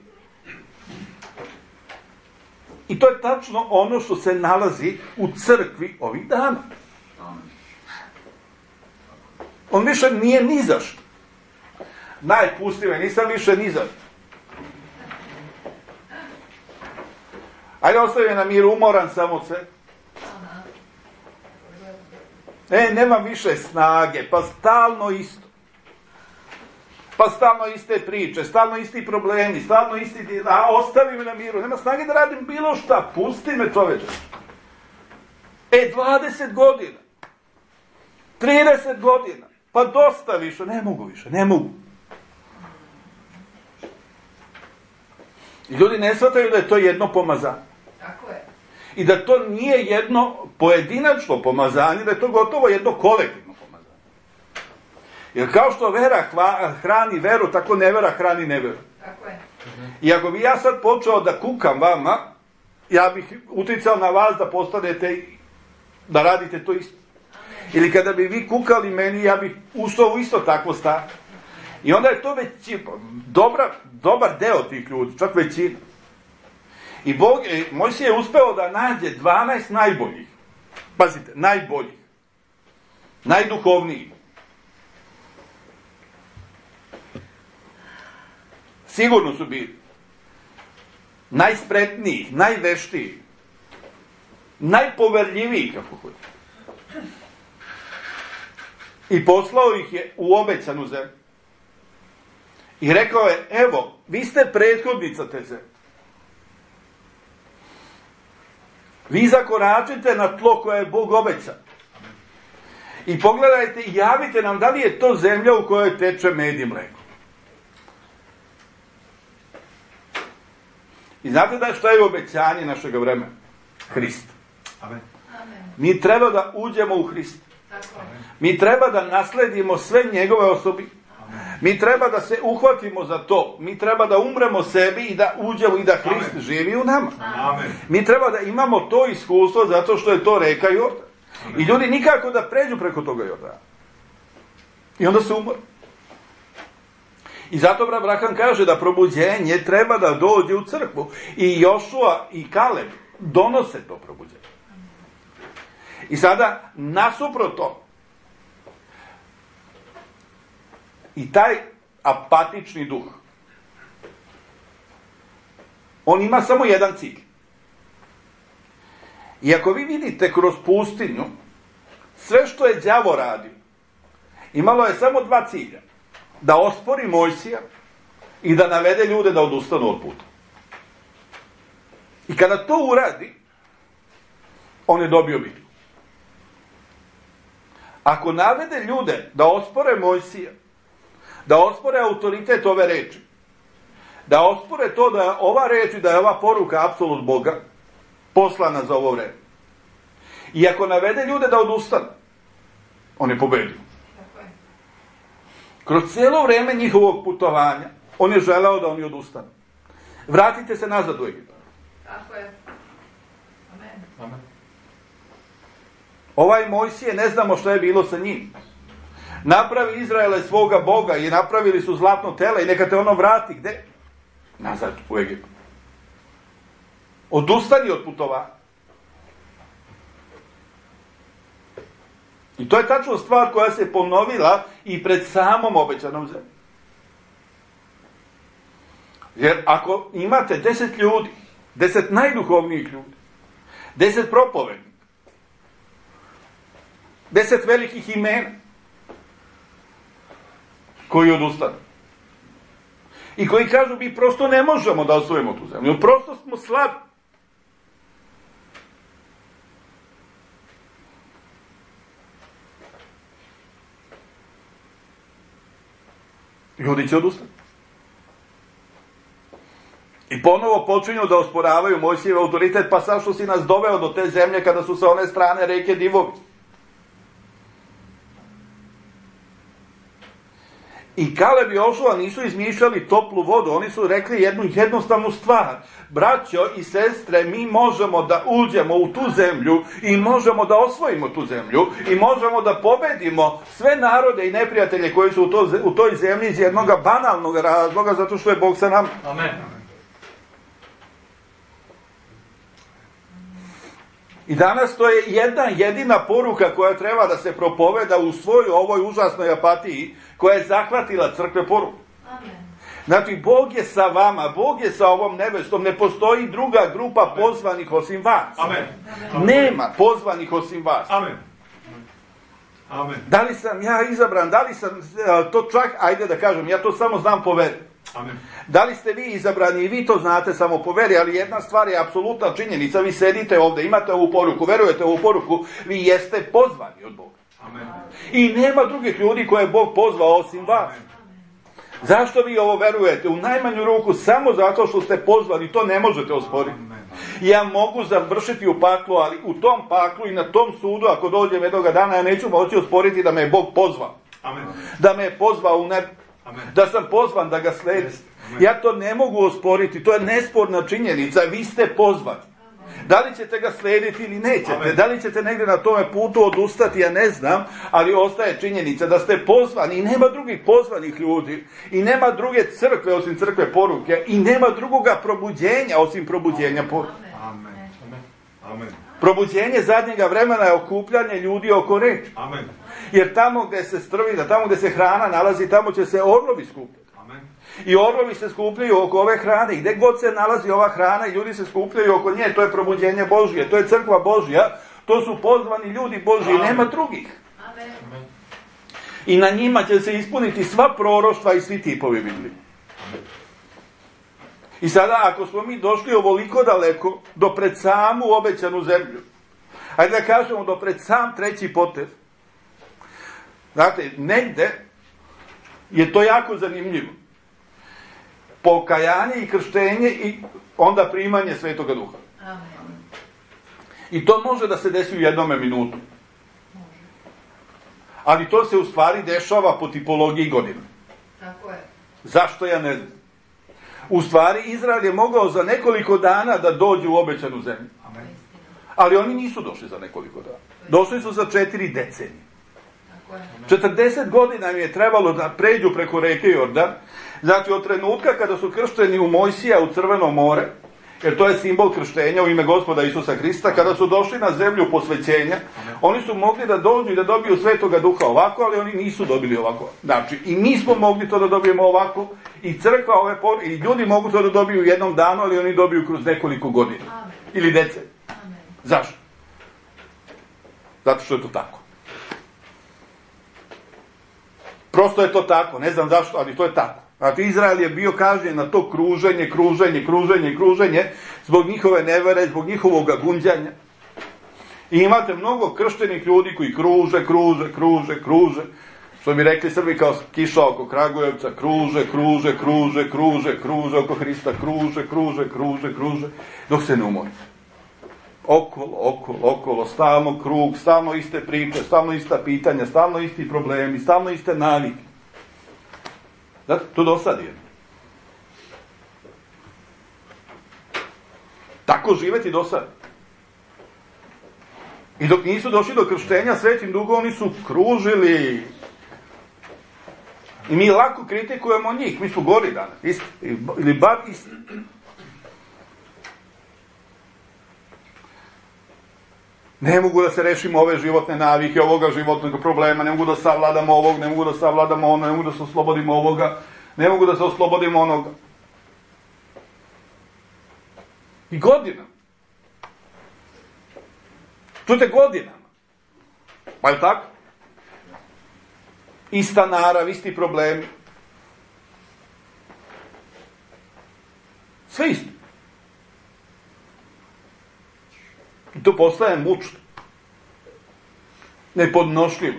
I to je tačno ono što se nalazi u crkvi ovih dana. On više nije ni zašto. Pusti me, nisam više ni zašto. Ajde, ostavi me na miru, umoran sam od sve. Nemam više snage, pa stalno isto. Pa stalno iste priče, stalno isti problemi, stalno isti... ostavi me na miru, nema snage da radim bilo šta, pusti me, čoveče. 20 godina, 30 godina, pa dosta više, ne mogu. I ljudi ne shvataju da je to jedno pomazanje. Tako je. I da to nije jedno pojedinačno pomazanje, da je to gotovo jedno kolektivno pomazanje. Jer kao što vera hrani veru, tako nevera hrani neveru. Tako je. I ako bi ja sad počeo da kukam vama, ja bih uticao na vas da postanete, da radite to isto. Ili kada bi vi kukali meni, ja bih ušao u isto takvo stanje. I onda je to već dobar deo tih ljudi, čak većina. I Mojsije je uspeo da nađe 12 najboljih. Pazite, najboljih. Najduhovnijih. Sigurno su bili. Najspretnijih, najveštijih. Najpoverljivijih, kako hoće. I poslao ih je u obećanu zemlju. I rekao je, evo, vi ste prethodnica te zemlje. Vi zakoračite na tlo koje je Bog obećao. I pogledajte i javite nam da li je to zemlja u kojoj teče med i mleko. I znate da što je obećanje našeg vremena? Hrist. Amen. Mi treba da uđemo u Hrist. Mi treba da nasledimo sve njegove osobi. Mi treba da se uhvatimo za to. Mi treba da umremo sebi i da uđemo i da Hrist živi u nama. Amen. Mi treba da imamo to iskustvo zato što je to reka Jordan. I ljudi nikako da pređu preko toga Jordana. I onda se umre. I zato Abraham kaže da probuđenje treba da dođe u crkvu. I Jošua i Kaleb donose to probuđenje. I sada, nasuprot to, i taj apatični duh, on ima samo jedan cilj. I ako vi vidite kroz pustinju, sve što je đavo radio, imalo je samo dva cilja. Da ospori Mojsija i da navede ljude da odustanu od puta. I kada to uradi, on je dobio bitku. ako navede ljude da ospore Mojsija, da ospore autoritet ove reči, da ospore to da je ova reč i da je ova poruka apsolut Boga poslana za ovo vreme, i ako navede ljude da odustanu, on je pobedio. Kroz cijelo vreme njihovog putovanja on je želeo da oni odustanu. Vratite se nazad u Egipat. Tako je. Amen. Amen. Ovaj Mojsije, ne znamo što je bilo sa njim. Napravi Izraele svoga Boga i napravili su zlatno tele i neka te ono vrati. Gde? Nazad u Egipat. Odustani od putovanja. I to je tačno stvar koja se ponovila i pred samom obećanom zemljom. Jer ako imate 10 ljudi, 10 najduhovnijih ljudi, 10 propovednika, 10 velikih imena koji odustanu i koji kažu mi prosto ne možemo da osvojimo tu zemlju, prosto smo slabi. Ljudi će odustati. I ponovo počinju da osporavaju Mojsijev autoritet, pa sad što si nas doveo do te zemlje kada su sa one strane reke divovi. I Kaleb i Jošua nisu izmišljali toplu vodu, oni su rekli jednu jednostavnu stvar. Braćo i sestre, mi možemo da uđemo u tu zemlju i možemo da osvojimo tu zemlju i možemo da pobedimo sve narode i neprijatelje koji su u toj zemlji iz jednog banalnog razloga, zato što je Bog sa nama. Amen. I danas to je jedna jedina poruka koja treba da se propoveda u svojoj ovoj užasnoj apatiji koja je zahvatila crkve poruku. Amen. Znači, Bog je sa vama, Bog je sa ovom nebestom, ne postoji druga grupa pozvanih osim vas. Amen. Nema pozvanih osim vas. Amen. Amen. Da li sam ja izabran, da li sam to čak, ajde da kažem, ja to samo znam po veri. Amen. Da li ste vi izabrani i vi to znate samo po veri, ali jedna stvar je apsolutna činjenica, vi sedite ovdje, imate ovu poruku, verujete ovu poruku, vi jeste pozvani od Boga. Amen. I nema drugih ljudi koje je Bog pozvao osim vas. Zašto vi ovo verujete? U najmanju ruku samo zato što ste pozvani, to ne možete osporiti. Ja mogu završiti u paklu, ali u tom paklu i na tom sudu, ako dođem jednog dana, ja neću moći osporiti da me je Bog pozvao. Amen. Da me je pozvao u nebo. Da sam pozvan da ga sledim. Ja to ne mogu osporiti, to je nesporna činjenica, vi ste pozvani. Da li ćete ga slijediti ili nećete, Amen. da li ćete negdje na tome putu odustati, ja ne znam, ali ostaje činjenica da ste pozvani i nema drugih pozvanih ljudi i nema druge crkve osim crkve poruke i nema drugoga probuđenja osim probuđenja poruke. Amen. Amen. Probuđenje zadnjega vremena je okupljanje ljudi oko reči. Amen. Jer tamo gdje se strvina, tamo gdje se hrana nalazi, tamo će se orlovi skupljati. Amen. I orlovi se skupljaju oko ove hrane. I gdje god se nalazi ova hrana i ljudi se skupljaju oko nje, to je probuđenje Božje, to je crkva Božja, to su pozvani ljudi Božji, nema drugih. Amen. I na njima će se ispuniti sva proroštva i svi tipovi Biblije. I sada, ako smo mi došli ovoliko daleko, do pred samu obećanu zemlju, ajde da kažemo do pred sam treći potez, znate, negde je to jako zanimljivo. Pokajanje i krštenje i onda primanje Svetoga Duha. Amen. I to može da se desi u jednome minutu. Ali to se u stvari dešava po tipologiji godina. Tako je. Zašto, ja ne znam. U stvari, Izrael je mogao za nekoliko dana da dođe u obećanu zemlju. Amen. Ali oni nisu došli za nekoliko dana. Došli su za 4 decenije. Tako je. 40 godina im je trebalo da pređu preko reke Jordan. Znači, od trenutka kada su kršteni u Mojsija u Crveno more, jer to je simbol krštenja u ime Gospoda Isusa Hrista, kada su došli na zemlju posvećenja, oni su mogli da dođu i da dobiju Svetoga Duha ovako, ali oni nisu dobili ovako. Znači, i mi smo mogli to da dobijemo ovako, i crkva i ljudi mogu to da dobiju u jednom danu, ali oni dobiju kroz nekoliko godina. Amen. Ili decenije. Amen. Zašto? Zato što je to tako. Prosto je to tako, ne znam zašto, ali to je tako. Znači, Izrael je bio kažnjen na to kruženje zbog njihove nevere, zbog njihovog gunđanja. I imate mnogo krštenih ljudi koji kruže, što bi rekli Srbi kao kiša oko Kragujevca, kruže oko Hrista, kruže, dok se ne umore. Okolo, stalno krug, stalno iste priče, stalno ista pitanja, stalno isti problemi, stalno iste navike. Znate, to dosadi je. Tako živeti dosadi. I dok nisu došli do krštenja Svetim Duhom, oni su kružili. I mi lako kritikujemo njih, mi su gori danas, isti, ili bar isti. Ne mogu da se rešimo ove životne navike, ovoga životnog problema, ne mogu da savladamo ovog, ne mogu da savladamo ono, ne mogu da se oslobodimo ovoga, ne mogu da se oslobodimo onoga. I godinama. Čujte, godinama. Pa je li tako? Ista narav, isti problemi. Sve isto. I to postaje mučno. Nepodnošljivo.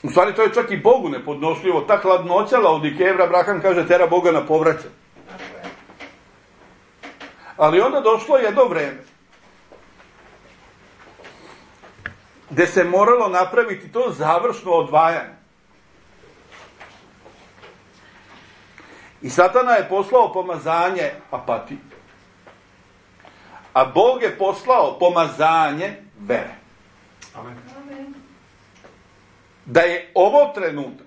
U stvari to je čak i Bogu nepodnošljivo. Ta hladnoća Laodikejeva, Abraham kaže, tera Boga na povraćaj. Ali onda došlo jedno vreme gde se moralo napraviti to završno odvajanje. I Satana je poslao pomazanje apatiji. A Bog je poslao pomazanje vere. Amen. Da je ovo trenutak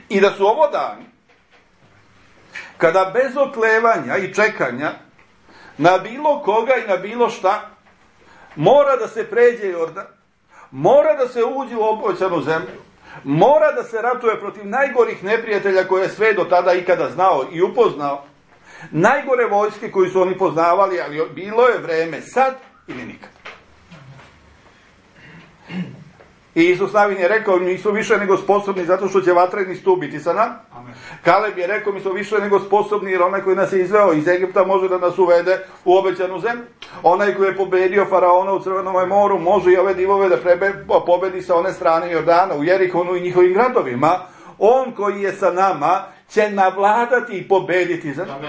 i da su ovo dani kada bez oklevanja i čekanja na bilo koga i na bilo šta mora da se pređe Jordan, mora da se uđe u obećanu zemlju, mora da se ratuje protiv najgorih neprijatelja koje je sve do tada ikada znao i upoznao, najgore vojske koju su oni poznavali, ali bilo je vreme sad ili nikad. I Isus Navin je rekao, mi su više nego sposobni zato što će vatreni stup biti sa nama. Kaleb je rekao, mi su više nego sposobni jer onaj koji nas je izveo iz Egipta može da nas uvede u obećanu zemlju. Onaj koji je pobedio faraona u Crvenom moru može i ove divove da pobedi sa one strane Jordana u Jerihonu i njihovim gradovima. On koji je sa nama će navladati i pobediti za nama.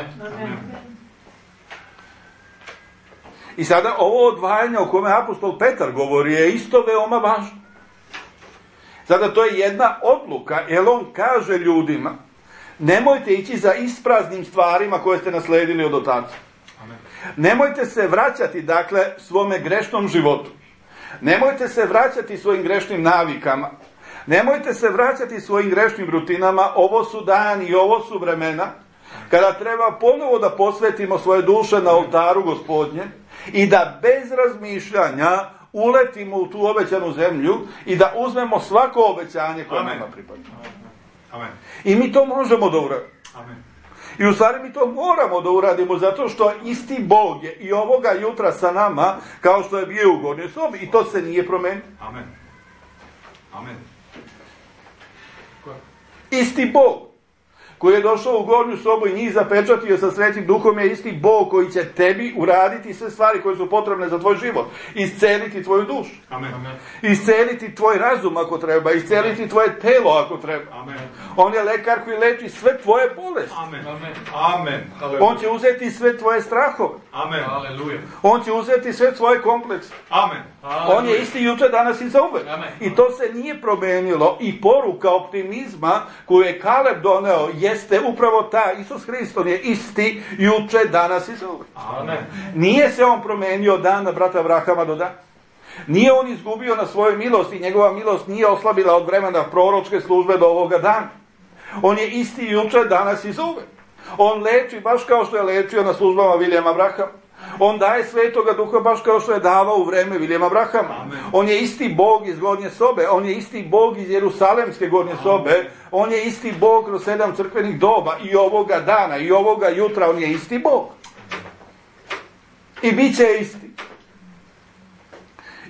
I sada ovo odvajanje o kome apostol Petar govori je isto veoma važno. Sada to je jedna odluka, jer on kaže ljudima, nemojte ići za ispraznim stvarima koje ste nasledili od otaca. Nemojte se vraćati, dakle, svome grešnom životu. Nemojte se vraćati svojim grešnim navikama. Nemojte se vraćati svojim grešnim rutinama. Ovo su dani i ovo su vremena kada treba ponovo da posvetimo svoje duše na oltaru Gospodnje i da bez razmišljanja uletimo u tu obećanu zemlju i da uzmemo svako obećanje koje nama pripada. I mi to možemo da uradimo. I u stvari mi to moramo da uradimo zato što isti Bog je i ovoga jutra sa nama kao što je bio u gornjoj sobi i to se nije promenilo. Isti Bog koji je došao u gornju sobu i njih zapečatio sa Svetim Duhom je isti Bog koji će tebi uraditi sve stvari koje su potrebne za tvoj život. Isceliti tvoju dušu. Isceliti tvoj razum ako treba. Isceliti tvoje telo ako treba. On je lekar koji leči sve tvoje bolesti. On će uzeti sve tvoje strahove. On će uzeti sve tvoje komplekse. On je isti juče, danas i zauvek. I to se nije promenilo. I poruka optimizma koju je Kaleb doneo jeste upravo ta. Isus Hristos je isti juče, danas i zauvek. Nije se on promenio od dana brata Abrahama do dana. Nije on izgubio na svojoj milosti. Njegova milost nije oslabila od vremena proročke službe do ovoga dana. On je isti juče, danas i zauvek. On leči baš kao što je lečio na službama Vilijama Abrahama. On daje Svetoga Duha baš kao što je davao u vreme Vilijama Abrahama. On je isti Bog iz gornje sobe. On je isti Bog iz Jerusalemske gornje sobe. On je isti Bog kroz 7 crkvenih doba. I ovoga dana, i ovoga jutra on je isti Bog. I bit će isti.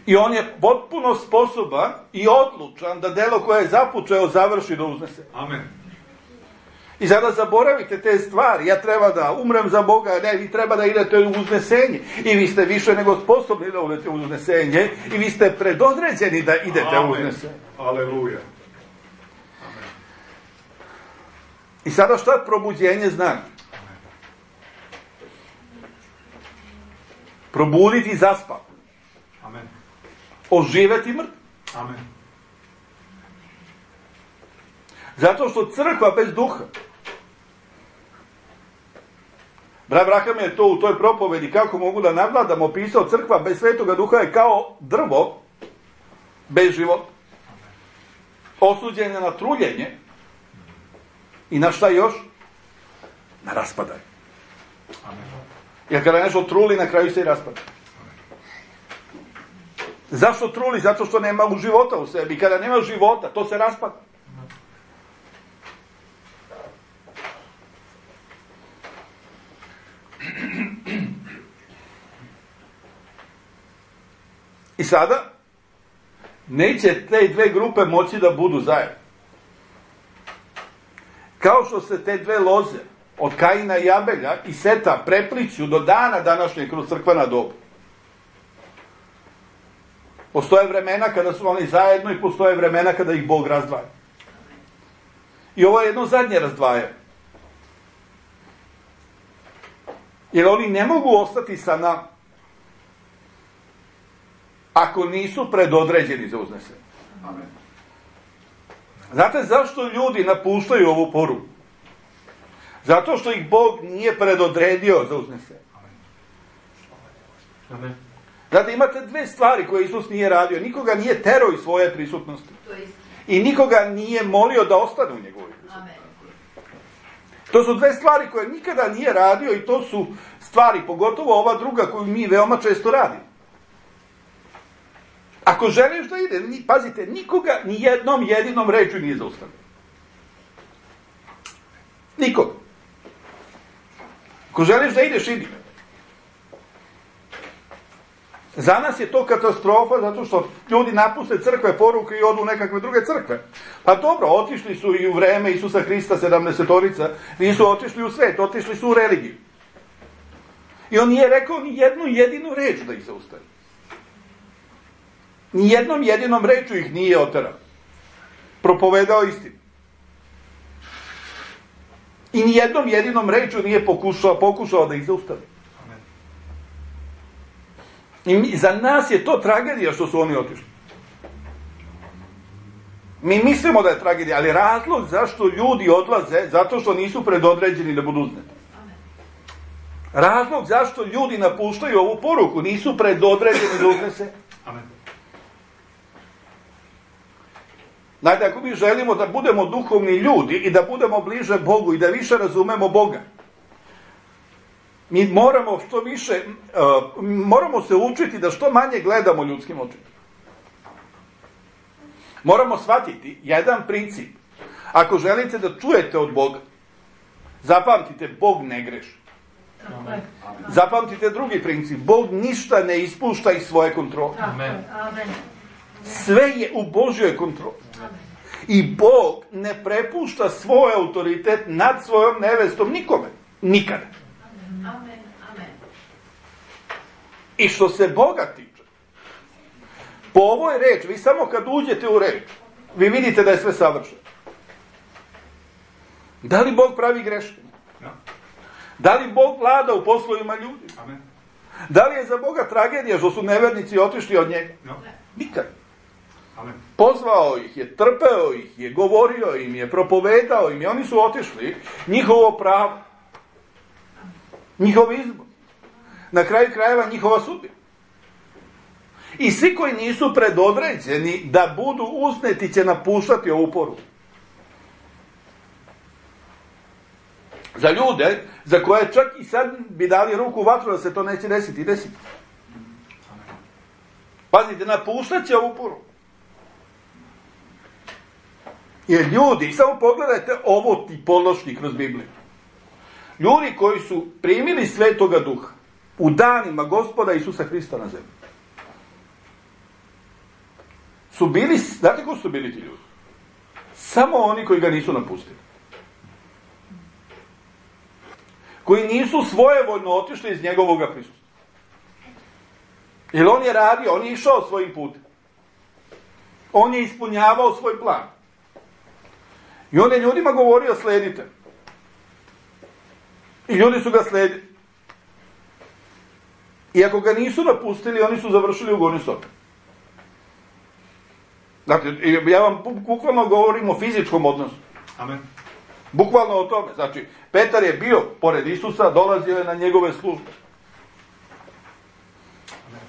I on je potpuno sposoban i odlučan da delo koje je započeo završi do uznese. I sada zaboravite te stvari. Ja treba da umrem za Boga, ne, vi treba da idete u uznesenje. I vi ste više nego sposobni da idete u uznesenje. I vi ste predodređeni da idete u uznesenje. Aleluja. I sada šta probuđenje znači? Probuditi zaspav. Amen. Oživeti mrtv. Amen. Zato što crkva bez duha. Brat Braham je to u toj propovedi, kako mogu da nadvladam, opisao, crkva bez svetoga duha je kao drvo bez života. Osuđenje na truljenje i na šta još? Na raspadanje. Jer kada nešto truli, na kraju se i raspada. Zašto truli? Zato što nema života u sebi. Kada nema života, to se raspada. I sada, neće te dve grupe moći da budu zajedno. Kao što se te dve loze, od Kaina i Abelja i Seta, prepliću do dana današnjeg kroz crkvena doba. Postoje vremena kada su oni zajedno i postoje vremena kada ih Bog razdvaja. I ovo je jedno zadnje razdvajanje. Jer oni ne mogu ostati sa nama ako nisu predodređeni za uznesenje. Amen. Znate zašto ljudi napuštaju ovu poruku? Zato što ih Bog nije predodredio za uznesenje. Amen. Znate, imate dve stvari koje Isus nije radio. Nikoga nije terao iz svoje prisutnosti. I nikoga nije molio da ostane u njegovoj prisutnosti. To su dve stvari koje nikada nije radio i to su stvari, pogotovo ova druga koju mi veoma često radimo. Ako želiš da ide, pazite, nikoga ni jednom jedinom rečju nije zaustavio. Nikoga. Ako želiš da ideš, idi. Za nas je to katastrofa zato što ljudi napuste crkve, poruke i odu u nekakve druge crkve. Pa dobro, otišli su i u vreme Isusa Hrista 70-orica, nisu otišli u svet, otišli su u religiju. I on nije rekao ni jednu jedinu reč da ih zaustavi. Ni jednom jedinom rečju ih nije oterao. Propovedao istinu. I ni jednom jedinom rečju nije pokušao da ih zaustavi. I za nas je to tragedija što su oni otišli. Mi mislimo da je tragedija, ali razlog zašto ljudi odlaze, zato što nisu predodređeni da budu uzneti. Razlog zašto ljudi napuštaju ovu poruku, nisu predodređeni da uznese. Amen. Znate, ako mi želimo da budemo duhovni ljudi i da budemo bliže Bogu i da više razumemo Boga, mi moramo što više, moramo se učiti da što manje gledamo ljudskim očima. Moramo shvatiti jedan princip. Ako želite da čujete od Boga, zapamtite, Bog ne greši. Zapamtite drugi princip, Bog ništa ne ispušta iz svoje kontrole. Amen. Sve je u Božjoj kontroli. I Bog ne prepušta svoj autoritet nad svojom nevestom nikome. Nikada. Amen. Amen. I što se Boga tiče, po ovoj reči, vi samo kad uđete u reč, vi vidite da je sve savršeno. Da li Bog pravi greške? Ja. Da li Bog vlada u poslovima ljudi? Amen. Da li je za Boga tragedija što su nevernici otišli od njega? Ja. Nikad. Amen. Pozvao ih je, trpeo ih je, govorio im je, propovedao im je, oni su otišli, njihovo pravo, njihov izbor, na kraju krajeva njihova sudbina. I svi koji nisu predodređeni da budu uzneti će napuštati ovu poruku. Za ljude, za koje čak i sad bi dali ruku u vatru da se to neće desiti, desiti. Pazite, napuštat će ovu poruku. Jer ljudi, samo pogledajte ovo tipološki kroz Bibliju. Ljudi koji su primili Svetoga Duha u danima Gospoda Isusa Hrista na zemlji, su bili, znate ko su bili ti ljudi? Samo oni koji ga nisu napustili. koji nisu svojevoljno otišli iz njegovog prisustva. Jer on je radio, on je išao svojim putem. On je ispunjavao svoj plan. I on je ljudima govorio sledite. I ljudi su ga sledili. I ako ga nisu napustili, oni su završili u gornjoj sobi. Dakle, ja vam bukvalno govorim o fizičkom odnosu. Amen. Bukvalno o tome. Znači, Petar je bio pored Isusa, dolazio je na njegove službe. Amen.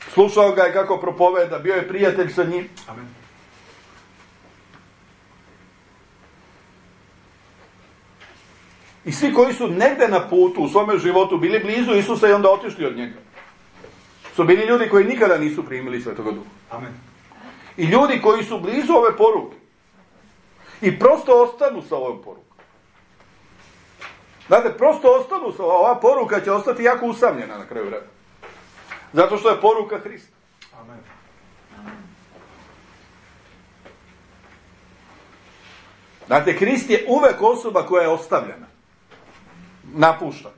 Slušao ga je kako propoveda, bio je prijatelj sa njim. Amen. I svi koji su negde na putu u svome životu bili blizu Isusa i onda otišli od njega, su bili ljudi koji nikada nisu primili Svetoga Duha. Amen. I ljudi koji su blizu ove poruke i prosto ostanu sa ovom porukom. Znate, prosto ostanu sa ova poruka će ostati jako usamljena na kraju vremena. Zato što je poruka Hrista. Amen. Znate, Hrist je uvek osoba koja je ostavljena, napuštana,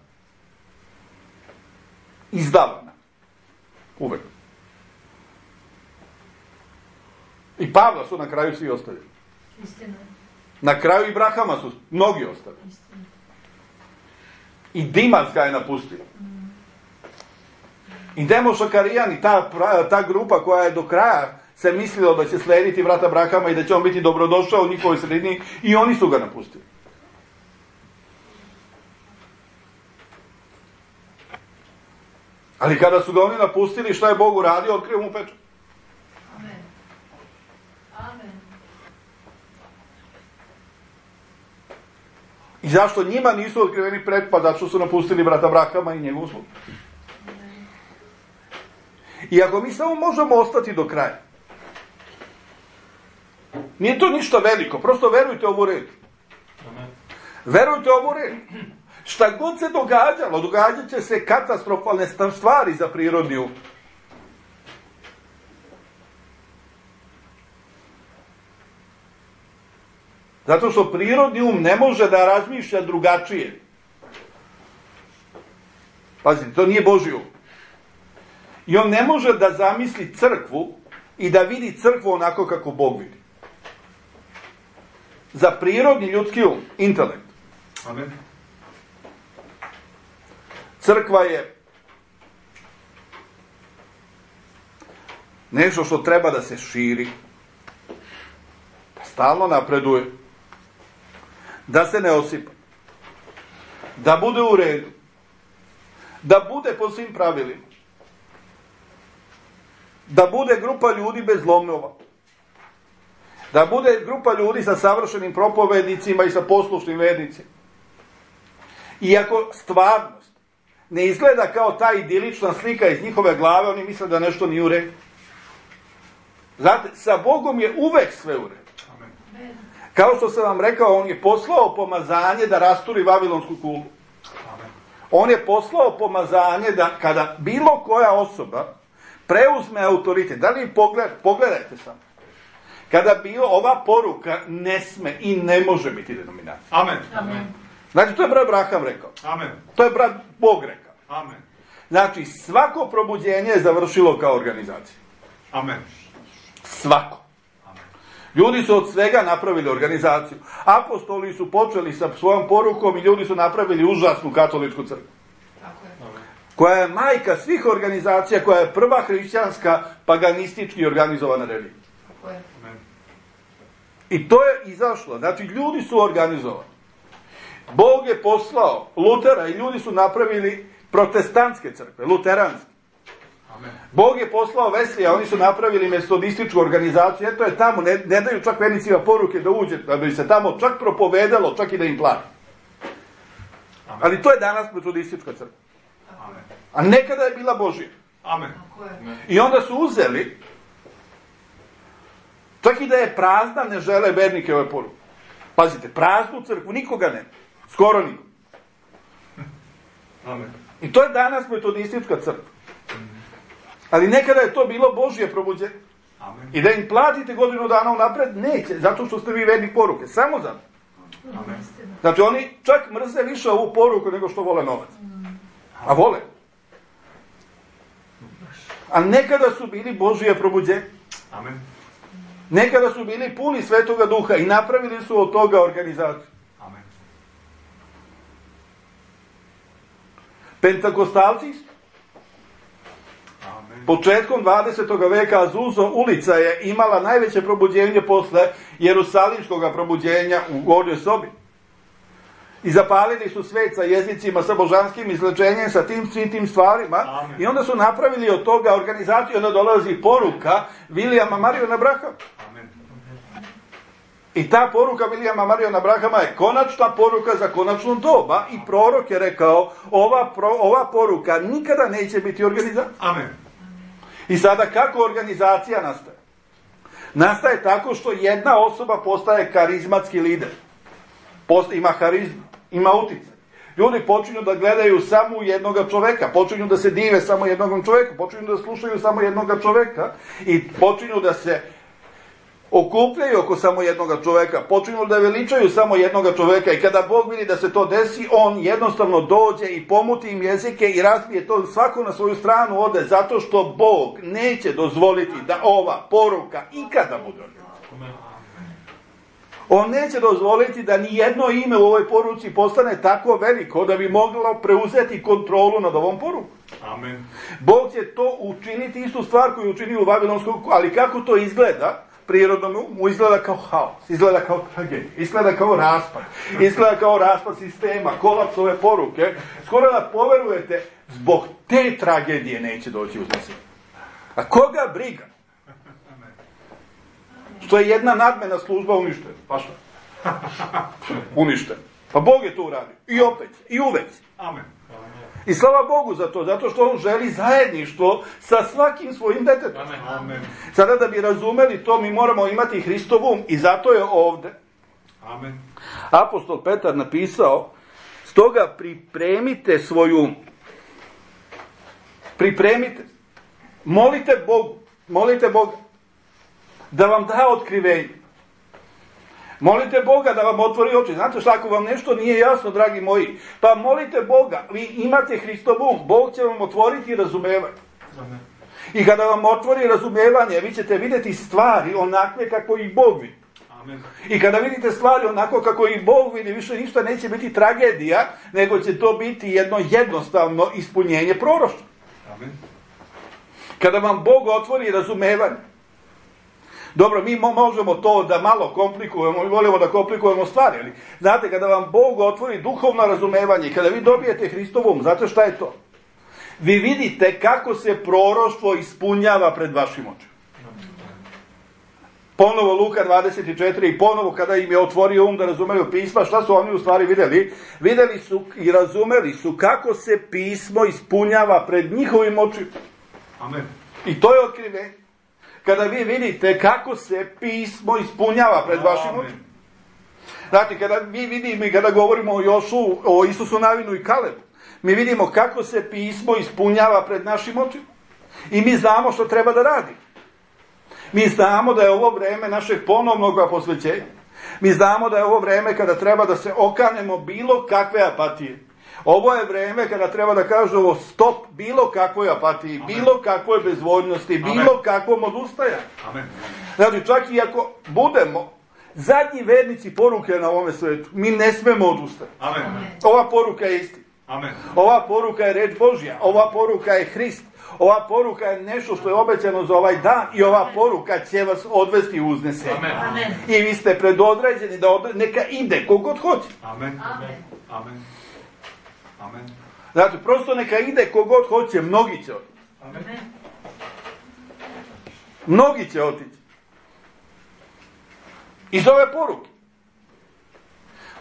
izdavana. Uvek. I Pavla su na kraju svi ostavili. Istina. Na kraju i Brahama su mnogi ostavili. Istina. I Dimas ga je napustio. I Demoša Karijan i ta grupa koja je do kraja se mislila da će slediti brata Brahama i da će on biti dobrodošao u njihovoj sredini, i oni su ga napustili. Ali kada su ga oni napustili, šta je Bog uradio? Otkrio mu pečat. Amen. Amen. I zašto njima nisu otkriveni pretpad? Zato što su napustili brata Brahama i njegovu službu. I ako mi samo možemo ostati do kraja, nije to ništa veliko, prosto verujte ovu reč. Verujte ovu reč. Šta god se događalo, događat će se katastrofalne stvari za prirodni um. Zato što prirodni um ne može da razmišlja drugačije. Pazite, to nije Božji um. I on ne može da zamisli crkvu i da vidi crkvu onako kako Bog vidi. Za prirodni ljudski um, intelekt. Amen. Crkva je nešto što treba da se širi, da stalno napreduje, da se ne osipa, da bude u redu, da bude po svim pravilima, da bude grupa ljudi bez lomova, da bude grupa ljudi sa savršenim propovednicima i sa poslušnim vernicima. Iako stvarnost ne izgleda kao ta idilična slika iz njihove glave, oni misle da nešto nije u redu. Znate, sa Bogom je uvek sve u redu. Amen. Kao što sam vam rekao, on je poslao pomazanje da rasturi Vavilonsku kulu. Amen. On je poslao pomazanje da kada bilo koja osoba preuzme autoritet, da li pogledajte samo, kada bilo ova poruka ne sme i ne može biti denominacija. Amen. Amen. Znači, to je brat Abraham rekao. Amen. To je brat Bog rekao. Amen. Znači, svako probuđenje je završilo kao organizacija. Amen. Svako. Amen. Ljudi su od svega napravili organizaciju. Apostoli su počeli sa svojom porukom i ljudi su napravili užasnu katoličku crkvu. Tako je. Amen. Koja je majka svih organizacija, koja je prva hrišćanska paganistički organizovana religija. Tako je. Amen. I to je izašlo. Znači, ljudi su organizovani. Bog je poslao Lutera i ljudi su napravili protestantske crkve, luteranske. Amen. Bog je poslao Veslija, oni su napravili metodističku organizaciju, eto je tamo, ne daju čak vernicima poruke da uđe, da bi se tamo čak propovedalo, čak i da im plati. Amen. Ali to je danas metodistička crkva. Amen. A nekada je bila Božja. Amen. Tako je. I onda su uzeli, čak i da je prazna, ne žele vernike ove poruke. Pazite, praznu crkvu, nikoga ne. Skoro niko. Amen. I to je danas metodistička crkva. Ali nekada je to bilo Božje probuđenje. Amen. I da im platite godinu dana unapred, neće, zato što ste vi vernik poruke. Samo zato. Amen. Znači oni čak mrze više ovu poruku nego što vole novac. A vole. A nekada su bili Božije probuđenje. Amen. Nekada su bili puni Svetoga Duha i napravili su od toga organizaciju. Amen. Pentakostalci Amen. početkom 20. veka Azusa ulica je imala najveće probuđenje posle Jerusalimskog probuđenja u Gornjoj sobi. I zapalili su svet sa jezicima, sa božanskim izlečenjem, sa svim tim stvarima. Amen. I onda su napravili od toga organizaciju, onda dolazi poruka Vilijama Mariona Brahama. Amen. I ta poruka Vilijama Mariona Brahama je konačna poruka za konačno doba i prorok je rekao ova poruka nikada neće biti organizacija. Amen. I sada kako organizacija nastaje? Nastaje tako što jedna osoba postaje karizmatski lider. Ima harizmu, ima uticaj. Ljudi počinju da gledaju samo jednoga čoveka, počinju da se dive samo jednog čoveka, počinju da slušaju samo jednoga čoveka i počinju da se okupljaju oko samo jednoga čoveka, počinju da veličaju samo jednoga čoveka i kada Bog vidi da se to desi, on jednostavno dođe i pomuti im jezike i razbije to, svako na svoju stranu ode, zato što Bog neće dozvoliti da ova poruka ikada bude organizirana. On neće dozvoliti da ni jedno ime u ovoj poruci postane tako veliko da bi moglo preuzeti kontrolu nad ovom porukom. Amen. Bog će to učiniti, istu stvar koju učinio u Vavilonskom, ali kako to izgleda? Prirodno mu izgleda kao haos, izgleda kao tragedija, izgleda kao raspad sistema, kolaps ove poruke. Skoro da poverujete, zbog te tragedije neće doći uznesenje. A koga briga? Što je jedna nadmena služba uništena. Pa šta? Uništena. Pa Bog je to uradio. I opet, i uvek. Amen. I slava Bogu za to, zato što on želi zajedništvo sa svakim svojim detetom. Amen. Sada da bi razumeli to, mi moramo imati Hristov um i zato je ovde Amen. apostol Petar napisao, stoga pripremite svoj um. Pripremite. Molite Boga da vam da otkrivenje. Molite Boga da vam otvori oči. Znate šta, ako vam nešto nije jasno, dragi moji, pa molite Boga, vi imate Hristov um, Bog će vam otvoriti razumevanje. Amen. I kada vam otvori razumevanje, vi ćete vidjeti stvari onakve kako ih Bog vidi. Amen. I kada vidite stvari onako kako ih Bog vidi, više ništa neće biti tragedija, nego će to biti jedno jednostavno ispunjenje proroštva. Amen. Kada vam Bog otvori razumevanje. Dobro, mi možemo to da malo komplikujemo i volimo da komplikujemo stvari, ali znate, kada vam Bog otvori duhovno razumevanje, kada vi dobijete Hristovom, znate šta je to? Vi vidite kako se proroštvo ispunjava pred vašim očima. Ponovo Luka 24 i ponovo kada im je otvorio um da razumeju pisma, šta su oni u stvari vidjeli? Vidjeli su i razumeli su kako se pismo ispunjava pred njihovim očima. Amen. I to je otkrivenje. Kada vi vidite kako se pismo ispunjava pred vašim očima. Znači, kada mi vidimo i kada govorimo o Jošu, o Isusu Navinu i Kalebu, mi vidimo kako se pismo ispunjava pred našim očima. I mi znamo što treba da radimo. Mi znamo da je ovo vreme našeg ponovnog posvećenja. Mi znamo da je ovo vreme kada treba da se okanemo bilo kakve apatije. Ovo je vreme kada treba da kažemo stop bilo kakvoj apatiji, Amen. bilo kakvoj bezvoljnosti, Amen. bilo kakvom odustajanju. Amen. Znači, čak i ako budemo zadnji vernici poruke na ovome svetu, mi ne smemo odustati. Amen. Ova poruka je istina. Amen. Ova poruka je reč Božja. Ova poruka je Hrist. Ova poruka je nešto što je obećano za ovaj dan i ova poruka će vas odvesti u uznesenje. Amen. I vi ste predodređeni da neka ide kogod hoće. Amen. Amen. Amen. Znači, prosto neka ide kogod hoće, mnogi će otići. Amen. Mnogi će otići. Iz ove poruke.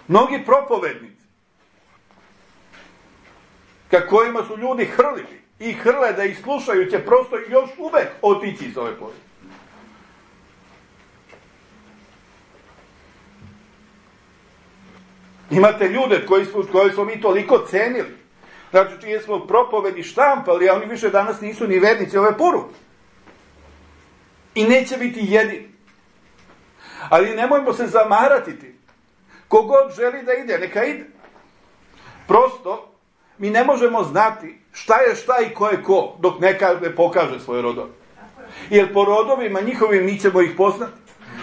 Mnogi propovednici, kojima su ljudi hrlili i hrle da ih slušaju, će prosto još uvek otići iz ove poruke. Imate ljude koji smo mi toliko cenili, znači čije smo propovedi štampali, a oni više danas nisu ni vernici ove poruke. I neće biti jedini. Ali nemojmo se zamarati tim. Kogod želi da ide, neka ide. Prosto, mi ne možemo znati šta je šta i ko je ko, dok ne pokaže svoje rodove. Jer po rodovima njihovim mi ćemo ih poznati.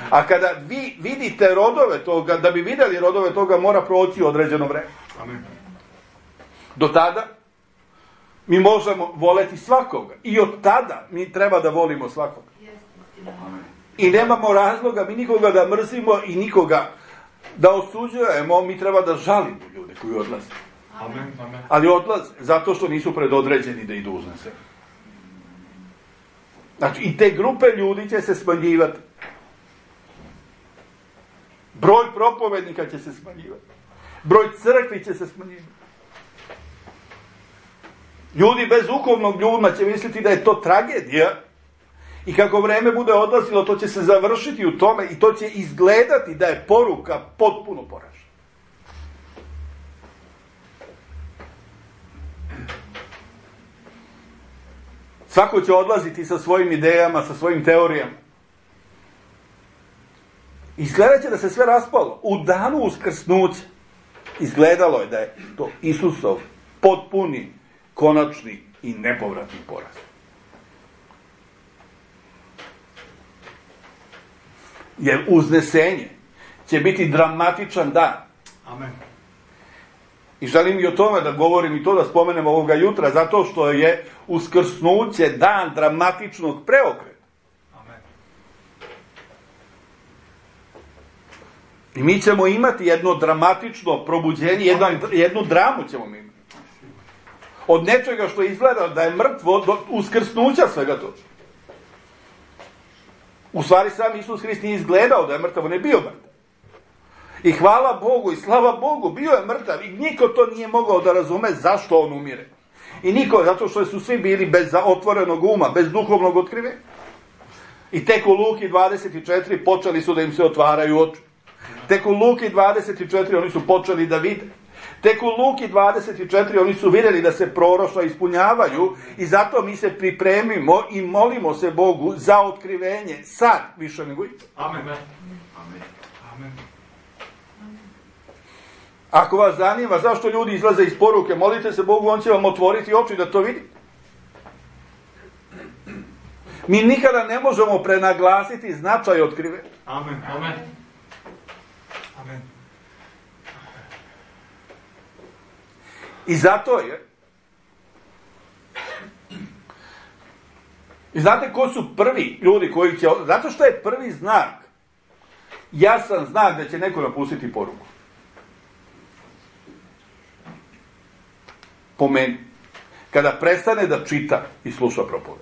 A kada vi vidite rodove toga, da bi vidjeli rodove toga, mora proći određeno vreme. Amen. Do tada mi možemo voleti svakoga. I od tada mi treba da volimo svakoga. I nemamo razloga mi nikoga da mrzimo i nikoga da osuđujemo. Mi treba da žalimo ljude koji odlaze. Amen. Amen. Ali odlaze zato što nisu predodređeni da idu uznese. Znači, i te grupe ljudi će se smanjivati. Broj propovednika će se smanjivati. Broj crkvi će se smanjivati. Ljudi bez duhovnog ljudima će misliti da je to tragedija i kako vreme bude odlazilo, to će se završiti u tome i to će izgledati da je poruka potpuno poražena. Svako će odlaziti sa svojim idejama, sa svojim teorijama. Izgledat će da se sve raspalo. U danu uskrsnuća izgledalo je da je to Isusov potpuni, konačni i nepovratni poraz. Jer uznesenje će biti dramatičan dan. Amen. I želim i o tome da govorim i to da spomenem ovoga jutra, zato što je uskrsnuće dan dramatičnog preokreta. Amen. I mi ćemo imati jedno dramatično probuđenje, jednu dramu ćemo imati. Od nečega što izgleda da je mrtvo do uskrsnuća svega to. U stvari sam Isus Hrist nije izgledao da je mrtav, on je bio mrtav. I hvala Bogu i slava Bogu, bio je mrtav i niko to nije mogao da razume zašto on umire. I niko, zato što su svi bili bez otvorenog uma, bez duhovnog otkrivenja. I tek u Luki 24 počeli su da im se otvaraju oči. Tek u Luki 24 oni su počeli da vide. Tek u Luki 24 oni su vidjeli da se proroštva ispunjavaju i zato mi se pripremimo i molimo se Bogu za otkrivenje sad više nego ikad. Amen. Amen. Amen. Ako vas zanima zašto ljudi izlaze iz poruke, molite se Bogu, on će vam otvoriti oči da to vidite. Mi nikada ne možemo prenaglasiti značaj otkrivenja. Amen. Amen. Amen. I zato je. I znate ko su prvi ljudi koji će. Zato što je prvi znak. Jasan znak da će neko napustiti poruku. Po meni. Kada prestane da čita i sluša propoved.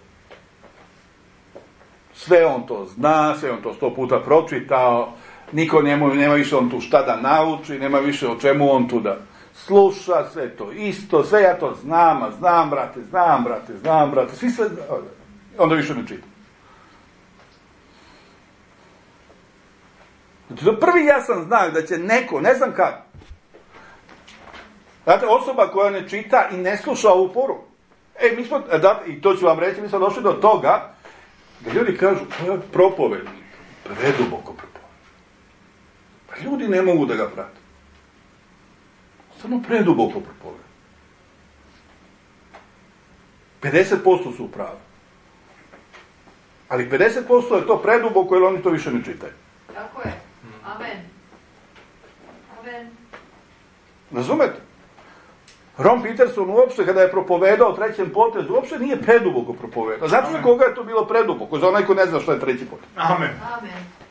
Sve on to zna, sve on to 100 puta pročitao. Niko nema više on tu šta da nauči, nema više o čemu on tu da sluša, sve to isto, sve ja to znam, a znam brate, svi sve, onda više ne čita. Znači, to prvi jasan znak da će neko, ne znam kako, znate, osoba koja ne čita i ne sluša ovu poruku, mi smo, i to ću vam reći, mi smo došli do toga, da ljudi kažu, to je propovednik, preduboko propovednik. Pa ljudi ne mogu da ga prate. Samo preduboko propoveda. 50% su u pravu. Ali 50% je to preduboko jer oni to više ne čitaju. Tako je. Amen. Amen. Razumete? Ron Peterson uopšte kada je propovedao trećem potezu, uopšte nije preduboko propovedao. Znate za koga je to bilo preduboko? Za onaj ko ne zna što je treći potez. Amen. Amen.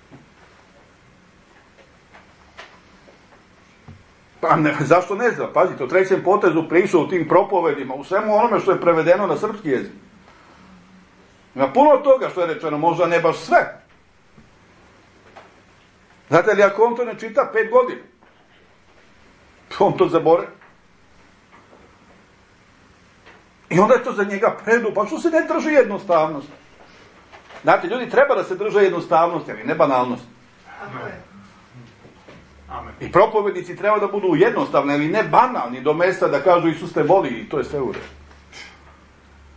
Pa ne, zašto ne zna? Pazite, o trećem potezu prišao u tim propovedima, u svemu onome što je prevedeno na srpski jezik. Ima puno toga što je rečeno, možda ne baš sve. Znate li, ako on to ne čita 5 godina, on to zabore. I onda je to za njega preduboko. Pa što se ne drži jednostavnost? Znate, ljudi treba da se drže jednostavnosti, ali ne banalnosti. Tako je. Amen. I propovednici treba da budu jednostavni, ali ne banalni, do mesta da kažu Isus te voli i to je sve u redu.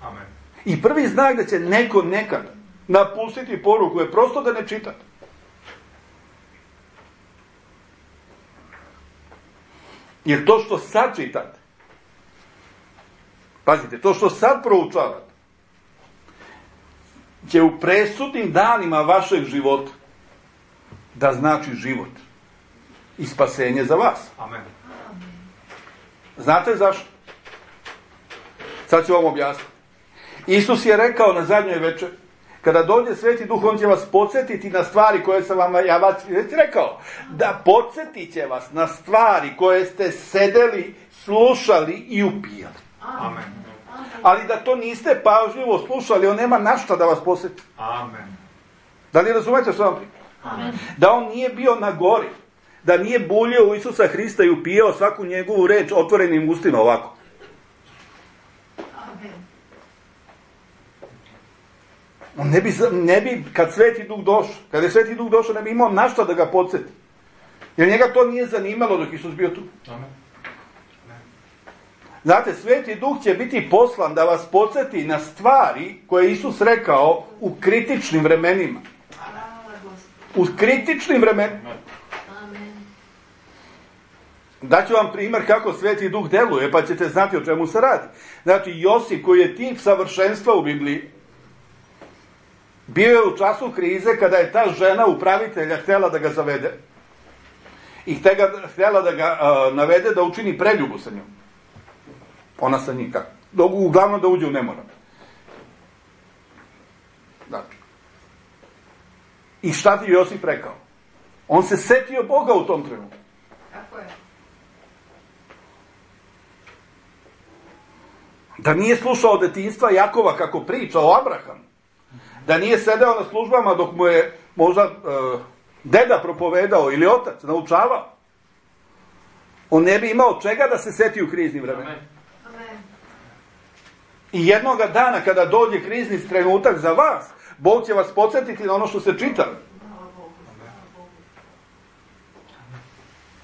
Amen. I prvi znak da će neko nekad napustiti poruku je prosto da ne čita. Jer to što sad čitate, pazite, to što sad proučavate, će u presudnim danima vašeg života da znači život i spasenje za vas. Amen. Znate zašto? Sad ću vam objasniti. Isus je rekao na zadnjoj večeri, kada dođe Sveti Duh, on će vas podsjetiti na stvari koje sam vam ja već rekao. Da podsjetit će vas na stvari koje ste sedeli, slušali i upijali. Amen. Ali da to niste pažljivo slušali, on nema na šta da vas podsjeti. Amen. Da li razumete što vam pričam? Da on nije bio na gori, da nije buljio u Isusa Hrista i upijao svaku njegovu reč otvorenim ustima ovako. On ne bi, kad Sveti Duh došao, kada je Sveti Duh došao, ne bi imao na šta da ga podsjeti. Jer njega to nije zanimalo dok Isus bio tu. Amen. Znate, Sveti Duh će biti poslan da vas podsjeti na stvari koje je Isus rekao u kritičnim vremenima. U kritičnim vremenima. Daću vam primjer kako Sveti Duh deluje, pa ćete znati o čemu se radi. Znači, Josip, koji je tip savršenstva u Bibliji, bio je u času krize kada je ta žena upravitelja htjela da ga zavede i htjela da ga navede da učini preljubu sa njom. Ona sa njim kako? Uglavnom da uđe u nemoral. Znači. I šta ti Josip rekao? On se setio Boga u tom trenutku. Kako je? Da nije slušao od detinjstva Jakova kako priča o Abrahamu. Da nije sedeo na službama dok mu je možda deda propovedao ili otac naučavao. On ne bi imao čega da se seti u kriznim vremenima. I jednoga dana kada dođe krizni trenutak za vas, Bog će vas podsjetiti na ono što ste čitali.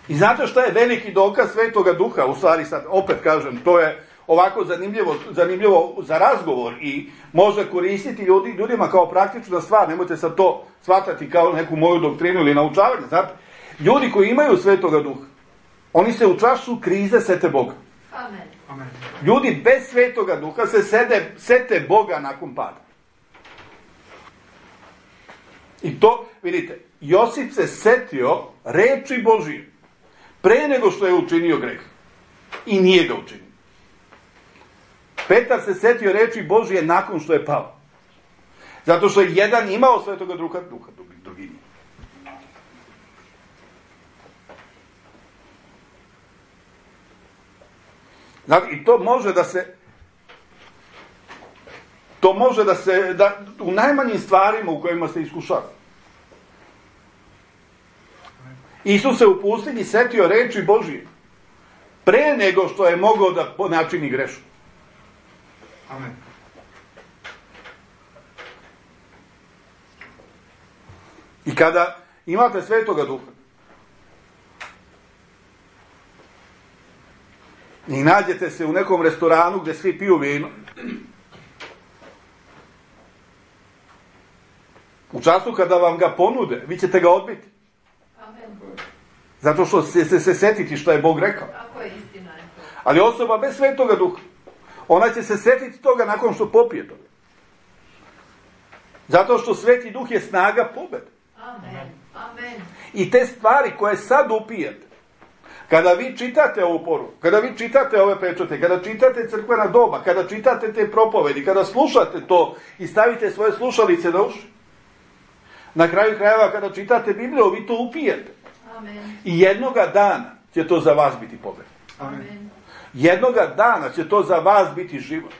I znate šta je veliki dokaz Svetoga Duha? U stvari sad, opet kažem, to je ovako zanimljivo za razgovor i može koristiti ljudima kao praktična stvar. Nemojte sad to shvatati kao neku moju doktrinu ili naučavanje. Znate, ljudi koji imaju Svetoga Duha, oni se u času krize sete Boga. Amen. Ljudi bez Svetoga Duha se sete Boga nakon pada. I to, vidite, Josip se setio reči Božije pre nego što je učinio greh. I nije ga učinio. Petar se setio reči Božije nakon što je pao. Zato što je jedan imao Svetoga Duha, drugi nije. Znači, i to može da se, u najmanjim stvarima u kojima se iskušava. Isus se u pustinji setio reči Božije pre nego što je mogao da načini grešku. Amen. I kada imate Svetoga Duha i nađete se u nekom restoranu gdje svi piju vino, u času kada vam ga ponude, vi ćete ga odbiti. Amen. Zato što će se setiti što je Bog rekao. Tako je, istina je to. Ali osoba bez Svetoga Duha, ona će se setiti toga nakon što popije toga. Zato što Sveti Duh je snaga pobjede. Amen. Amen. I te stvari koje sad upijete, kada vi čitate ovu poruku, kada vi čitate ove pečate, kada čitate crkvena doba, kada čitate te propovedi, kada slušate to i stavite svoje slušalice na uši, na kraju krajeva kada čitate Bibliju, vi to upijete. Amen. I jednoga dana će to za vas biti pobjeda. Amen. Jednoga dana će to za vas biti život.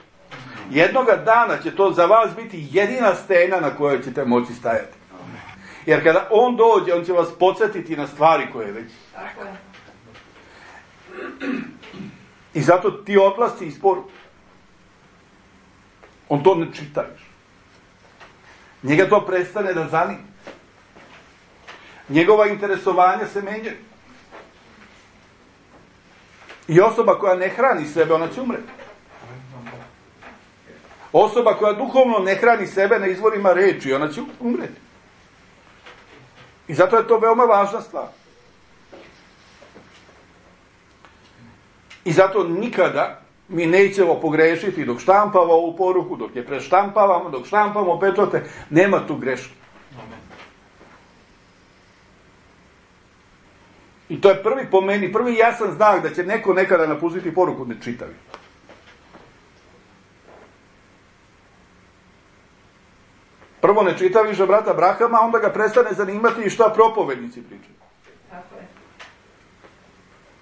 Jednoga dana će to za vas biti jedina stena na kojoj ćete moći stajati. Jer kada on dođe, on će vas podsjetiti na stvari koje već. Tako je. I zato ti odlasci iz poruke. On to ne čita još. Njega to prestane da zanima. Njegova interesovanja se menjaju. I osoba koja ne hrani sebe, ona će umreti. Osoba koja duhovno ne hrani sebe na izvorima reči, ona će umreti. I zato je to veoma važna stvar. I zato nikada mi nećemo pogrešiti dok štampamo ovu poruku, dok je preštampavamo, dok štampamo pečate, nema tu greške. I to je po meni, prvi jasan znak da će neko nekada napustiti poruku ne čitavi. Prvo ne čita više brata Brahama, onda ga prestane zanimati i šta propovednici pričaju. Tako je.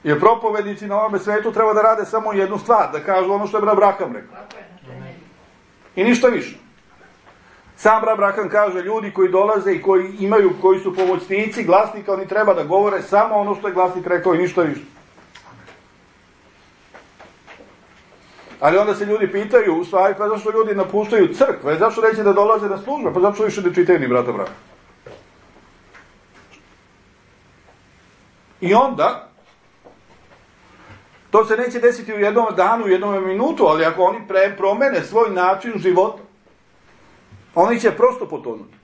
Jer propovednici na ovome svetu treba da rade samo jednu stvar, da kažu ono što je brat Braham rekao. Tako je, na temelju. I ništa više. Sam brat Braham kaže, ljudi koji dolaze i koji su pomoćnici glasnika, oni treba da govore samo ono što je glasnik rekao i ništa više. Ali onda se ljudi pitaju, u stvari, pa zašto ljudi napuštaju crkve, zašto neće da dolaze na službe, pa zašto više ne čitaju ni brata Brahama. I onda, to se neće desiti u jednom danu, u jednom minutu, ali ako oni promene svoj način života, oni će prosto potonuti.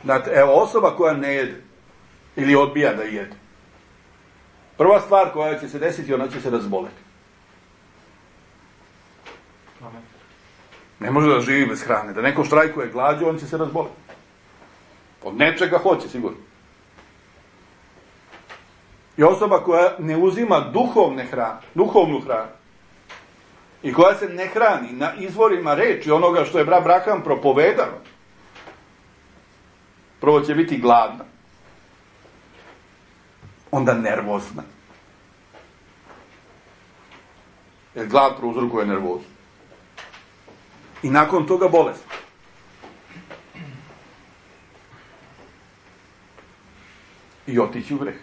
Znate, evo, osoba koja ne jede ili odbija da jede, prva stvar koja će se desiti, ona će se razboleti. Ne može da živi bez hrane. Da neko štrajkuje glađu, on će se razboleti. Od nečega hoće, sigurno. I osoba koja ne uzima duhovnu hranu i koja se ne hrani na izvorima reči onoga što je brat Braham propovedao, prvo će biti gladna, onda nervozna. Jer glad prouzrokuje nervozu. I nakon toga bolest. I otići u greh.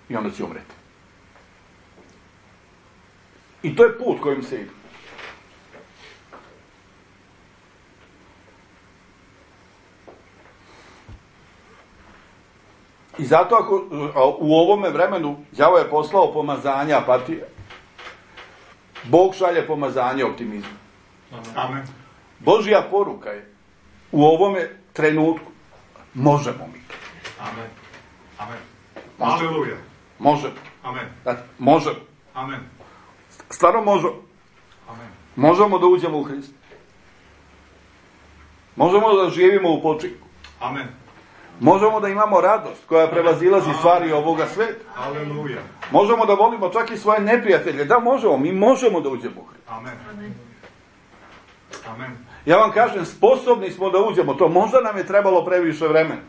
I onda će umreti. I to je put kojim se ide. I zato ako u ovome vremenu đavo je poslao pomazanje apatije, Bog šalje pomazanje optimizma. Amen. Božja poruka je u ovome trenutku možemo mi. Amen. Amen. Može. Aleluja. Možemo. Amen. Znači, možemo. Amen. Stvarno možemo. Amen. Možemo da uđemo u Hrista. Možemo da živimo u počinku. Amen. Možemo da imamo radost koja prevazilazi stvari ovoga sveta. Aleluja. Možemo da volimo čak i svoje neprijatelje. Da, možemo. Mi možemo da uđemo u Hrista. Amen. Amen. Amen. Ja vam kažem, sposobni smo da uđemo. To možda nam je trebalo previše vremena.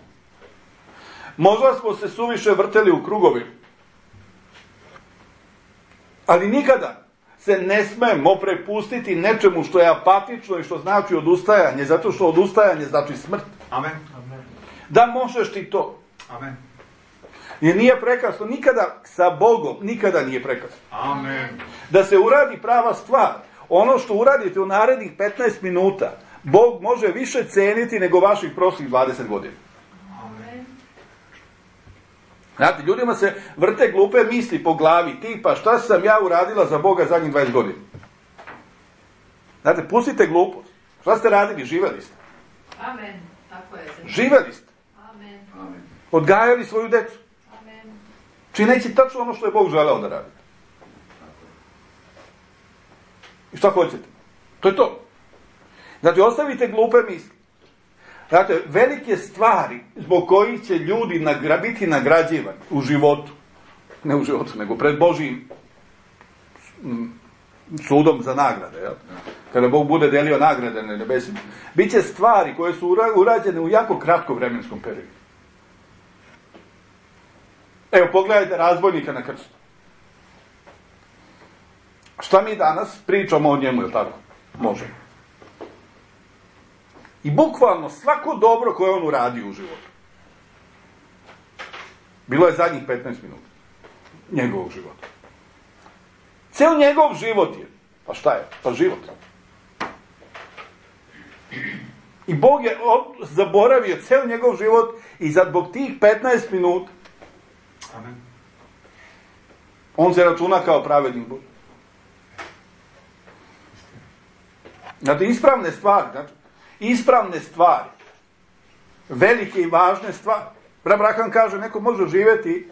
Možda smo se suviše vrteli u krugovi. Ali nikada se ne smemo prepustiti nečemu što je apatično i što znači odustajanje, zato što odustajanje znači smrt. Amen. Da možeš ti to. Amen. Jer nije prekasno, nikada sa Bogom, nikada nije prekasno. Amen. Da se uradi prava stvar. Ono što uradite u narednih 15 minuta, Bog može više ceniti nego vaših prošlih 20 godina. Amen. Znate, ljudima se vrte glupe misli po glavi, tipa šta sam ja uradila za Boga zadnjih 20 godina. Znate, pustite glupost. Šta ste radili? Živeli ste. Amen. Tako je. Živeli ste. Amen. Amen. Odgajali svoju decu. Amen. Čineći tačno ono što je Bog želeo da radi. I šta hoćete? To je to. Znači, ostavite glupe misli. Znate, velike stvari zbog kojih će ljudi biti nagrađivani u životu, ne u životu, nego pred Božijim sudom za nagrade, jel? Kada Bog bude delio nagrade na nebesima, bit će stvari koje su urađene u jako kratkom vremenskom periodu. Evo, pogledajte razbojnika na krstu. Šta mi danas pričamo o njemu, je tako? Možemo. I bukvalno svako dobro koje on uradio u životu. Bilo je zadnjih 15 minuta njegovog života. Ceo njegov život je. Pa šta je? Pa život. I Bog je zaboravio ceo njegov život i zbog tih 15 minuta Amen. on se računa kao pravednik Bog. Znate, ispravne stvari, znači, ispravne stvari, velike i važne stvari. Abraham kaže, neko može živjeti,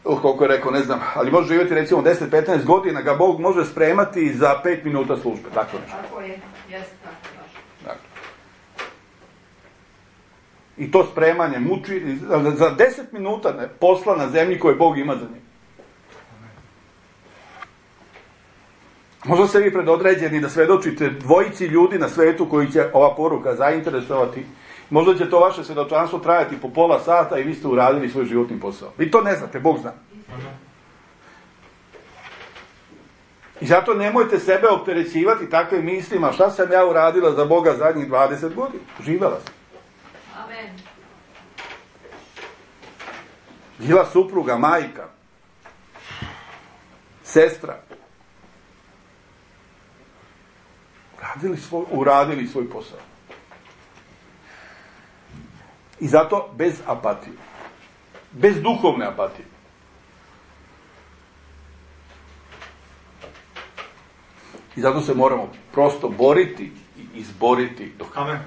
koliko je rekao, ne znam, ali može živjeti recimo 10-15 godina, ga Bog može spremati za 5 minuta službe. Tako nešto. Tako je, jeste tako baš. Dakle. I to spremanje muči, za 10 minuta posla na zemlji koje Bog ima za njim. Možda ste vi predodređeni da svedočite dvojici ljudi na svetu koji će ova poruka zainteresovati. Možda će to vaše svjedočanstvo trajati po pola sata i vi ste uradili svoj životni posao. Vi to ne znate, Bog zna. I zato nemojte sebe opterećivati takvim mislima, šta sam ja uradila za Boga zadnjih 20 godina. Živela sam. Amen. Bila supruga, majka, sestra. Uradili svoj posao. I zato bez apatije. Bez duhovne apatije. I zato se moramo prosto boriti i izboriti do kraja.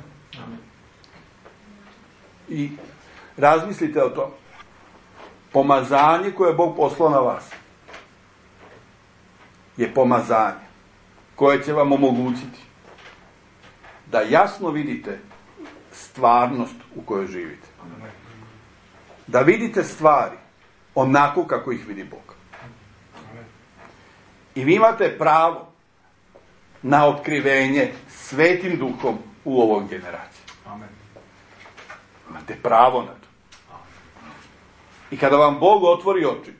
Amen. I razmislite o tom. Pomazanje koje je Bog poslao na vas je pomazanje koje će vam omogućiti da jasno vidite stvarnost u kojoj živite. Da vidite stvari onako kako ih vidi Bog. I vi imate pravo na otkrivenje Svetim Duhom u ovoj generaciji. Imate pravo na to. I kada vam Bog otvori oči,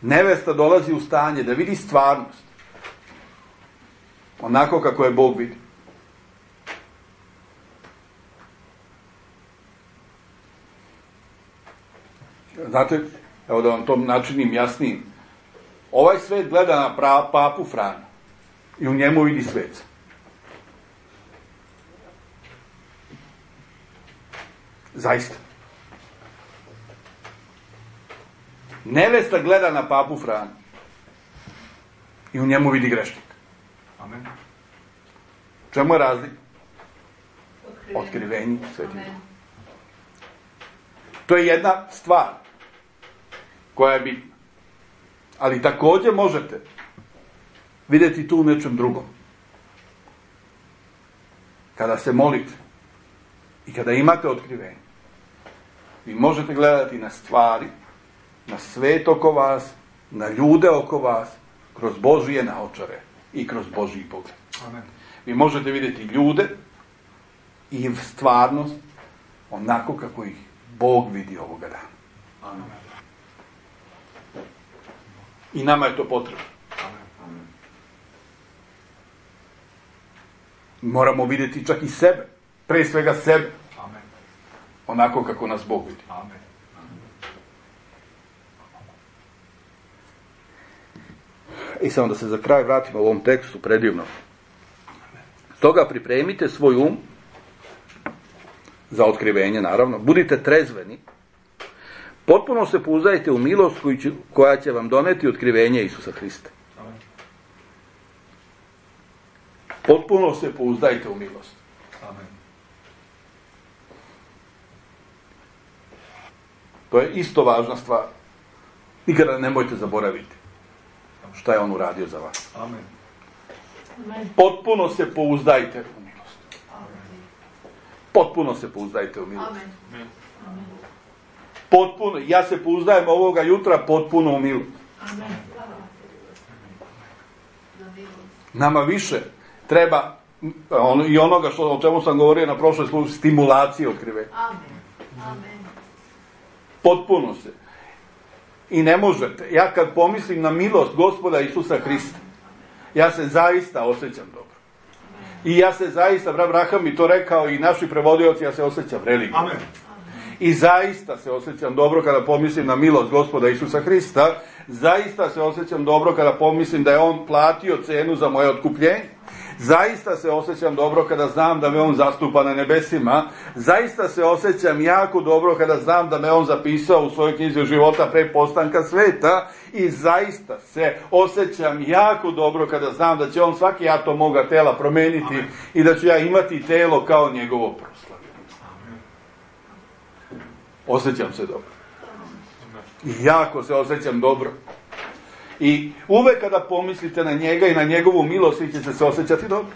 nevesta dolazi u stanje da vidi stvarnost onako kako je Bog vidi. Znate, evo da vam to načinim jasnijim. Ovaj svet gleda na papu Franju i u njemu vidi sveca. Zaista. Nevesta gleda na papu Franju i u njemu vidi grešnika. Amen. Čemu je razlika? Otkrivenje Svetim Duhom. To je jedna stvar koja je bitna. Ali također možete vidjeti tu u nečem drugom. Kada se molite i kada imate otkrivenje, vi možete gledati na stvari, na svet oko vas, na ljude oko vas, kroz Božije naočare i kroz Božji pogled. Amen. Vi možete vidjeti ljude i stvarnost onako kako ih Bog vidi ovoga dana. Amen. I nama je to potrebno. Amen. Moramo vidjeti čak i sebe. Pre svega sebe. Amen. Onako kako nas Bog vidi. Amen. I samo da se za kraj vratimo u ovom tekstu predivno. Stoga pripremite svoj um za otkrivenje, naravno. Budite trezveni. Potpuno se pouzdajte u milost koja će vam doneti otkrivenje Isusa Hrista. Amen. Potpuno se pouzdajte u milost. Amen. To je isto važna stvar. Nikada nemojte zaboraviti šta je on uradio za vas. Amen. Potpuno se pouzdajte u milost. Potpuno se pouzdajte u milost. Amen. Potpuno, ja se pouzdajem ovoga jutra potpuno u milost. Amen. Nama više treba i onoga o čemu sam govorio na prošloj službi, stimulacije otkrivenja. Amen. Amen. Potpuno se. I ne možete. Ja kad pomislim na milost Gospoda Isusa Hrista, ja se zaista osjećam dobro. I ja se zaista, Abraham mi to rekao i naši prevodioci, ja se osjećam religiozno. Amen. I zaista se osjećam dobro kada pomislim na milost Gospoda Isusa Hrista. Zaista se osjećam dobro kada pomislim da je on platio cenu za moje otkupljenje. Zaista se osjećam dobro kada znam da me on zastupa na nebesima. Zaista se osjećam jako dobro kada znam da me on zapisao u svojoj knjizi života pre postanka sveta. I zaista se osjećam jako dobro kada znam da će on svaki atom moga tela promeniti. Amen. I da ću ja imati telo kao njegovo proslavljeno. Osjećam se dobro. I jako se osjećam dobro. I uvek kada pomislite na njega i na njegovu milost, vi ćete se osjećati dobro.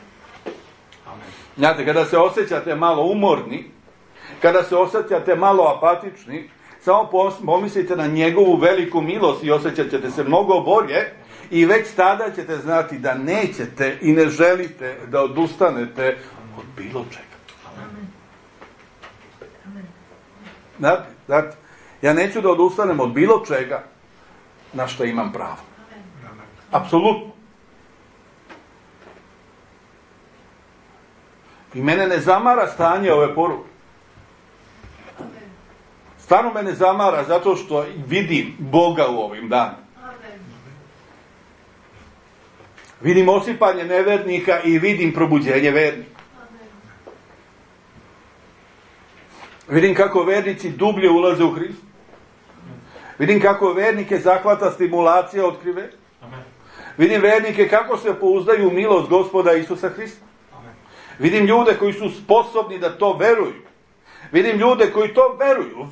Amen. Znate, kada se osjećate malo umorni, kada se osjećate malo apatični, samo pomislite na njegovu veliku milost i osjećat ćete se mnogo bolje i već tada ćete znati da nećete i ne želite da odustanete od bilo čega. Amen. Znate, ja neću da odustanem od bilo čega na što imam pravo. Apsolutno. I mene ne zamara stanje ove poruke. Stvarno me ne zamara zato što vidim Boga u ovim danima. Vidim osipanje nevernika i vidim probuđenje vernika. Vidim kako vernici dublje ulaze u Hrista. Vidim kako vernike zahvata stimulacija otkrive. Vidim vernike kako se pouzdaju u milost Gospoda Isusa Hrista. Vidim ljude koji su sposobni da to veruju. Vidim ljude koji to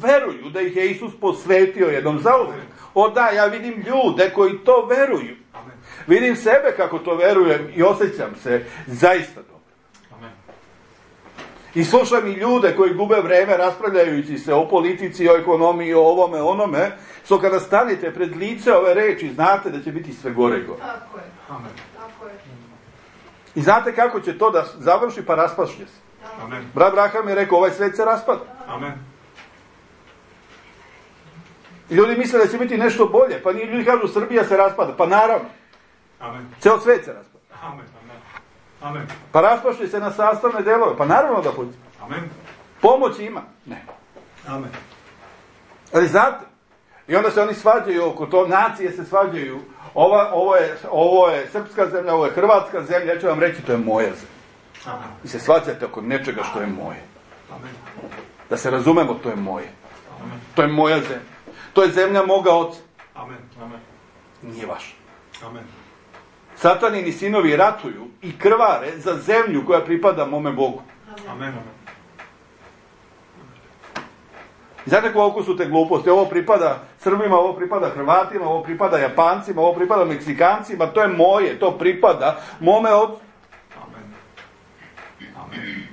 veruju da ih je Isus posvetio jednom zauvek. O da, ja vidim ljude koji to veruju. Vidim sebe kako to verujem i osjećam se zaista dobro. I slušam i ljude koji gube vreme raspravljajući se o politici, o ekonomiji, o ovome, onome, što kada stanete pred lice ove reči, znate da će biti sve gore i gore. Tako je. Amen. Tako je. I znate kako će to da završi, pa raspašće se. Amen. Brat Braham je rekao, ovaj svet se raspada. Amen. I ljudi misle da će biti nešto bolje, pa ljudi kažu Srbija se raspada, pa naravno. Amen. Ceo svet se raspada. Amen. Amen. Pa raspašće se na sastavne delove, pa naravno da pođe. Amen. Pomoć ima. Ne. Amen. Ali znate, i onda se oni svađaju oko to, nacije se svađaju, ovo je srpska zemlja, ovo je hrvatska zemlja, ja ću vam reći, to je moja zemlja. Amen. I se svađate oko nečega što je moje. Amen. Da se razumemo, to je moje. Amen. To je moja zemlja. To je zemlja moga oca. Amen. Amen. Nije vaša. Amen. Satanini sinovi ratuju i krvare za zemlju koja pripada mome Bogu. Amen. Znate koliko su te gluposti? Ovo pripada Srbima, ovo pripada Hrvatima, ovo pripada Japancima, ovo pripada Meksikancima, to je moje, to pripada mome ocu. Amen. Amen.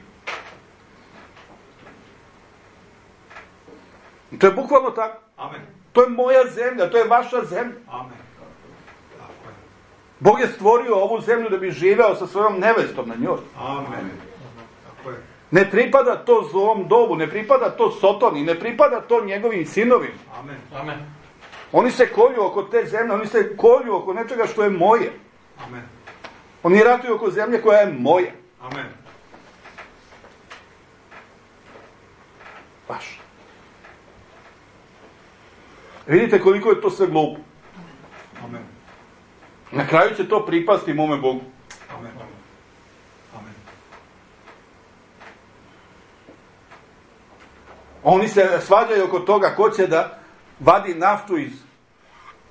To je bukvalno tako. Amen. To je moja zemlja, to je vaša zemlja. Amen. Bog je stvorio ovu zemlju da bi živeo sa svojom nevestom na njoj. Amen. Tako je. Ne pripada to zlom dobu, ne pripada to Sotoni, ne pripada to njegovim sinovima. Amen. Amen. Oni se kolju oko te zemlje, oni se kolju oko nečega što je moje. Amen. Oni ratuju oko zemlje koja je moja. Amen. Baš. Vidite koliko je to sve glupo. Amen. Na kraju će to pripasti mome Bogu. Amen. Amen. Oni se svađaju oko toga ko će da vadi naftu iz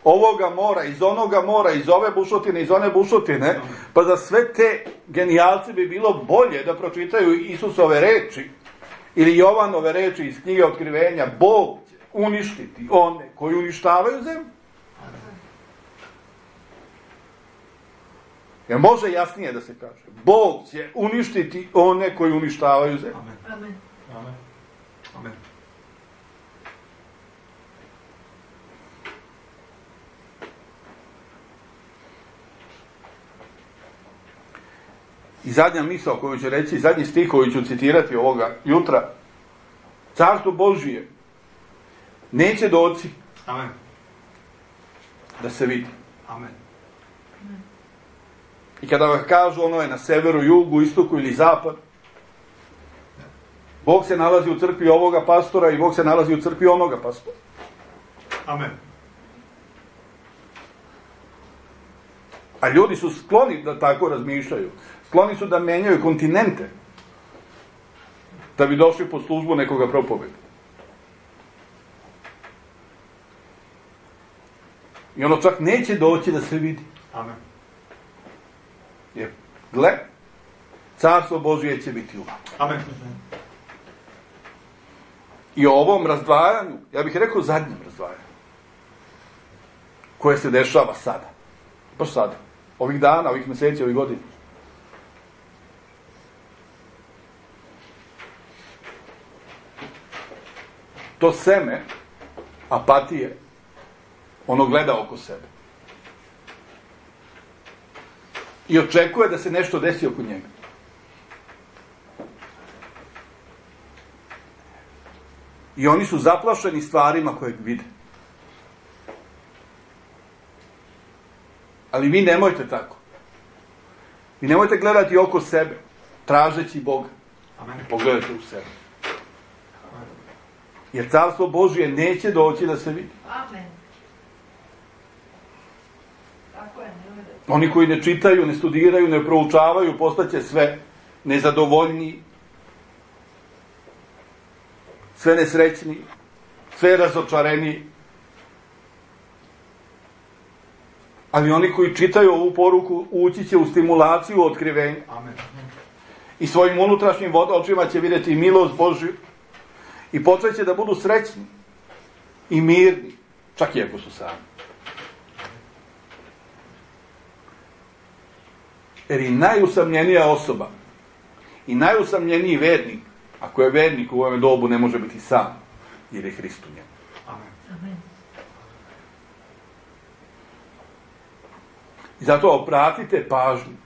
ovoga mora, iz onoga mora, iz ove bušotine, iz one bušotine. Pa za sve te genijalce bi bilo bolje da pročitaju Isusove reči ili Jovanove reči iz knjige Otkrivenja. Bog će uništiti one koji uništavaju zemlju. Jer može jasnije da se kaže. Bog će uništiti one koji uništavaju zemlju. Amen. Amen. Amen. I zadnja misao koju ću reći, zadnji stih koji ću citirati ovoga jutra. Carstvo Božije neće doći Amen. da se vidi. Amen. I kada vam kažu ono je na severu, jugu, istoku ili zapad, Bog se nalazi u crkvi ovoga pastora i Bog se nalazi u crkvi onoga pastora. Amen. A ljudi su skloni da tako razmišljaju. Skloni su da menjaju kontinente da bi došli pod službu nekoga propoveda. I ono čak neće doći da se vidi. Amen. Jer, gle, carstvo Božije će biti u vama. Amen. I o ovom razdvajanju, ja bih rekao zadnjem razdvajanju, koje se dešava sada. Baš sada. Ovih dana, ovih mjeseci, ovih godina. To seme apatije, ono gleda oko sebe. I očekuje da se nešto desi oko njega. I oni su zaplašeni stvarima koje vide. Ali vi nemojte tako. Vi nemojte gledati oko sebe, tražeći Boga. Amen. Pogledajte u sebe. Jer carstvo Božije neće doći da se vidi. Amen. Tako je, nemojte. Oni koji ne čitaju, ne studiraju, ne proučavaju, postaće sve nezadovoljniji, sve nesrećniji, sve razočareniji. Ali oni koji čitaju ovu poruku ući će u stimulaciju otkrivenja. Amen. I svojim unutrašnjim očima će vidjeti milost Božju i počeće da budu srećni i mirni, čak i ako su sami. Jer i najusamljenija osoba i najusamljeniji vernik, ako je vernik u ovom dobu, ne može biti sam, jer je Hrist u njemu. Amen. I zato obratite pažnju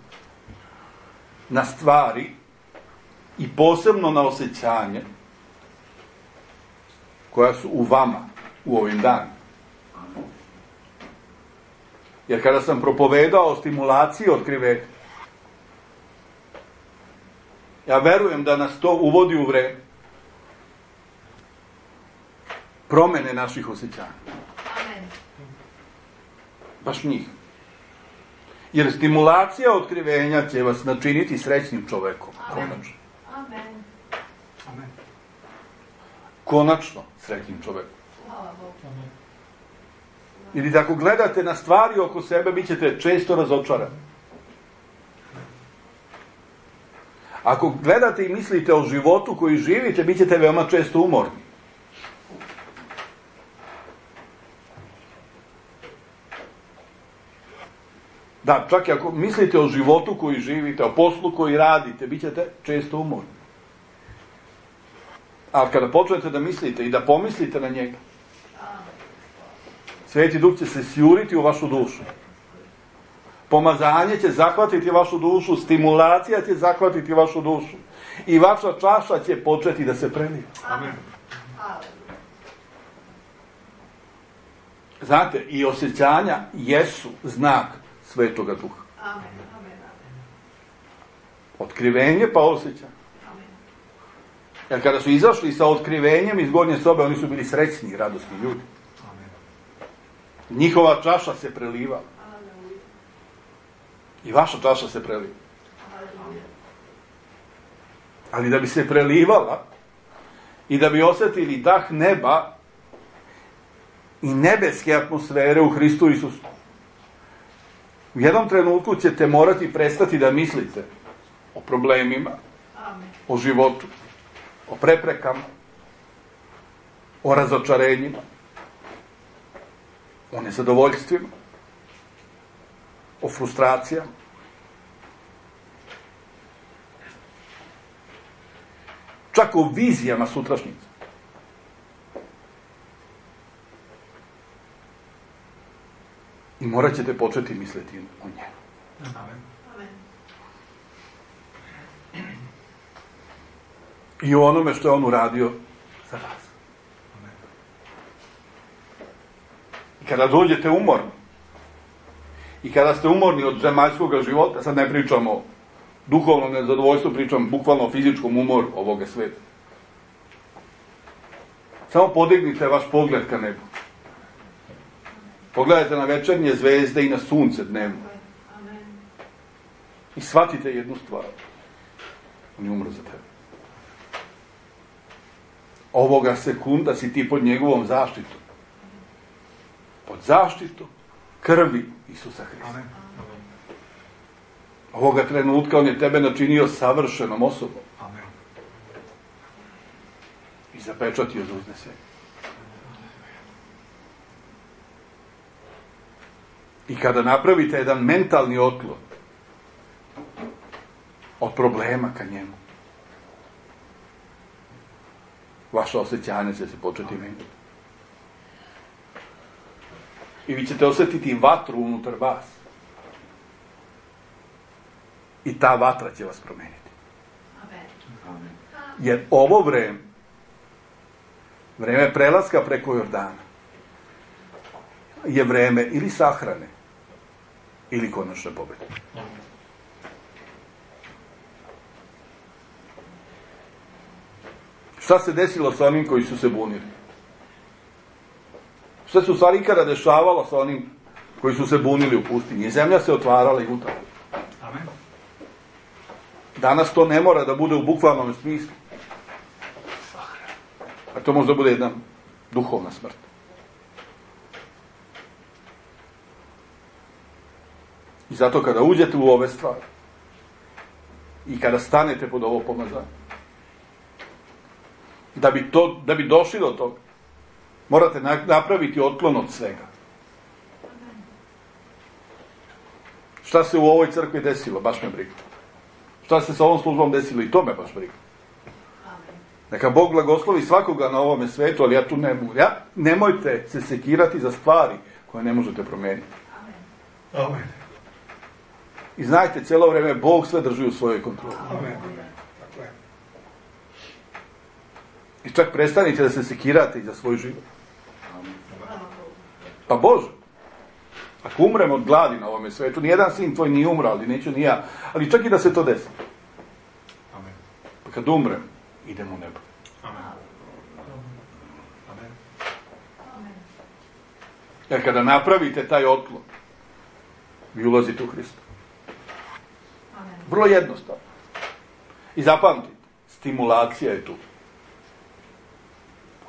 na stvari i posebno na osjećanje koja su u vama u ovim danima. Jer kada sam propovedao o stimulaciji otkrivenja, ja verujem da nas to uvodi u vreme promene naših osjećanja. Amen. Baš njih. Jer stimulacija otkrivenja će vas načiniti srećnim čovekom. Amen. Konačno. Amen. Amen. Konačno srećnim čovekom. Hvala Bogu. Jer ako gledate na stvari oko sebe, bit ćete često razočarani. Ako gledate i mislite o životu koji živite, bit ćete veoma često umorni. Da, čak i ako mislite o životu koji živite, o poslu koji radite, bit ćete često umorni. Ali kada počnete da mislite i da pomislite na njega, Sveti Duh će se sjuriti u vašu dušu. Pomazanje će zahvatiti vašu dušu, stimulacija će zahvatiti vašu dušu. I vaša čaša će početi da se preliva. Amen. Znate, i osjećanja jesu znak Svetoga Duha. Amen. Amen. Otkrivenje pa osjećanje. Amen. Jer kada su izašli sa otkrivenjem iz gornje sobe, oni su bili srećni i radosni ljudi. Amen. Njihova čaša se preliva. I vaša čaša se preliva. Ali da bi se prelivala i da bi osjetili dah neba i nebeske atmosfere u Hristu Isusu, u jednom trenutku ćete morati prestati da mislite o problemima, o životu, o preprekama, o razočarenjima, o nezadovoljstvima, o frustracijama. Čak o vizijama sutrašnjice. I morat ćete početi misliti o njemu. Amen. Amen. I o onome što je on uradio za vas. Amen. I kada dođete umorni, i kada ste umorni od zemaljskog života, sad ne pričamo o duhovnom nezadovoljstvu, pričam bukvalno o fizičkom umoru ovoga sveta. Samo podignite vaš pogled ka nebu. Pogledajte na večernje zvezde i na sunce dnevno. I shvatite jednu stvar. On je umro za tebe. Ovoga sekunda si ti pod njegovom zaštitom. Pod zaštitom krvi Isusa Hrista. Amen. Ovoga trenutka on je tebe načinio savršenom osobom. Amen. I zapečatio za uznesenje. I kada napravite jedan mentalni otklon od problema ka njemu, vaša osjećanja će se početi menjati. I vi ćete osjetiti vatru unutar vas. I ta vatra će vas promeniti. Amen. Jer ovo vreme prelaska preko Jordana, je vreme ili sahrane, ili konačne pobjede. Šta se desilo sa onim koji su se bunili? Šta se u stvari ikada dešavalo sa onim koji su se bunili u pustinji? Zemlja se otvarala i gutala. Amen. Danas to ne mora da bude u bukvalnom smislu. A to možda bude jedna duhovna smrt. I zato kada uđete u ove stvari i kada stanete pod ovo pomazanje, da bi došli do toga, morate napraviti otklon od svega. Šta se u ovoj crkvi desilo? Baš me briga. Šta se sa ovom službom desilo? I to me baš briga. Neka Bog blagoslovi svakoga na ovome svetu, ali ja tu ne mogu. Nemojte se sekirati za stvari koje ne možete promijeniti. Amen. I znajte, cijelo vrijeme Bog sve drži u svojoj kontroli. Amen. Tako je. I čak prestanite da se sekirate i za svoj život. Pa Bože, ako umrem od gladi na ovome svetu, nijedan sin tvoj nije umro, ali neću ni ja. Ali čak i da se to desi. Amen. Pa kad umrem, idem u nebo. Amen. Amen. Jer kada napravite taj otklon, vi ulazite u Hrista. Vrlo jednostavno. I zapamtite, stimulacija je tu.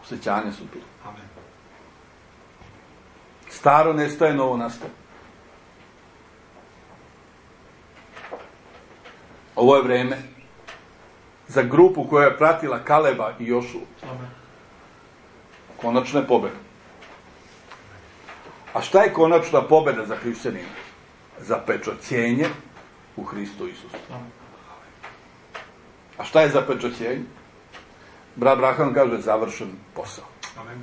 Osjećanja su tu. Amen. Staro nestaje, novo nastaje. Ovo je vreme za grupu koja je pratila Kaleba i Jošu. Amen. Konačne pobjede. A šta je konačna pobjeda za hrišćanina? Zapečaćenje u Hristu Isusu. Amen. A šta je zapečaćenje? Brat Braham kaže završen posao. Amen.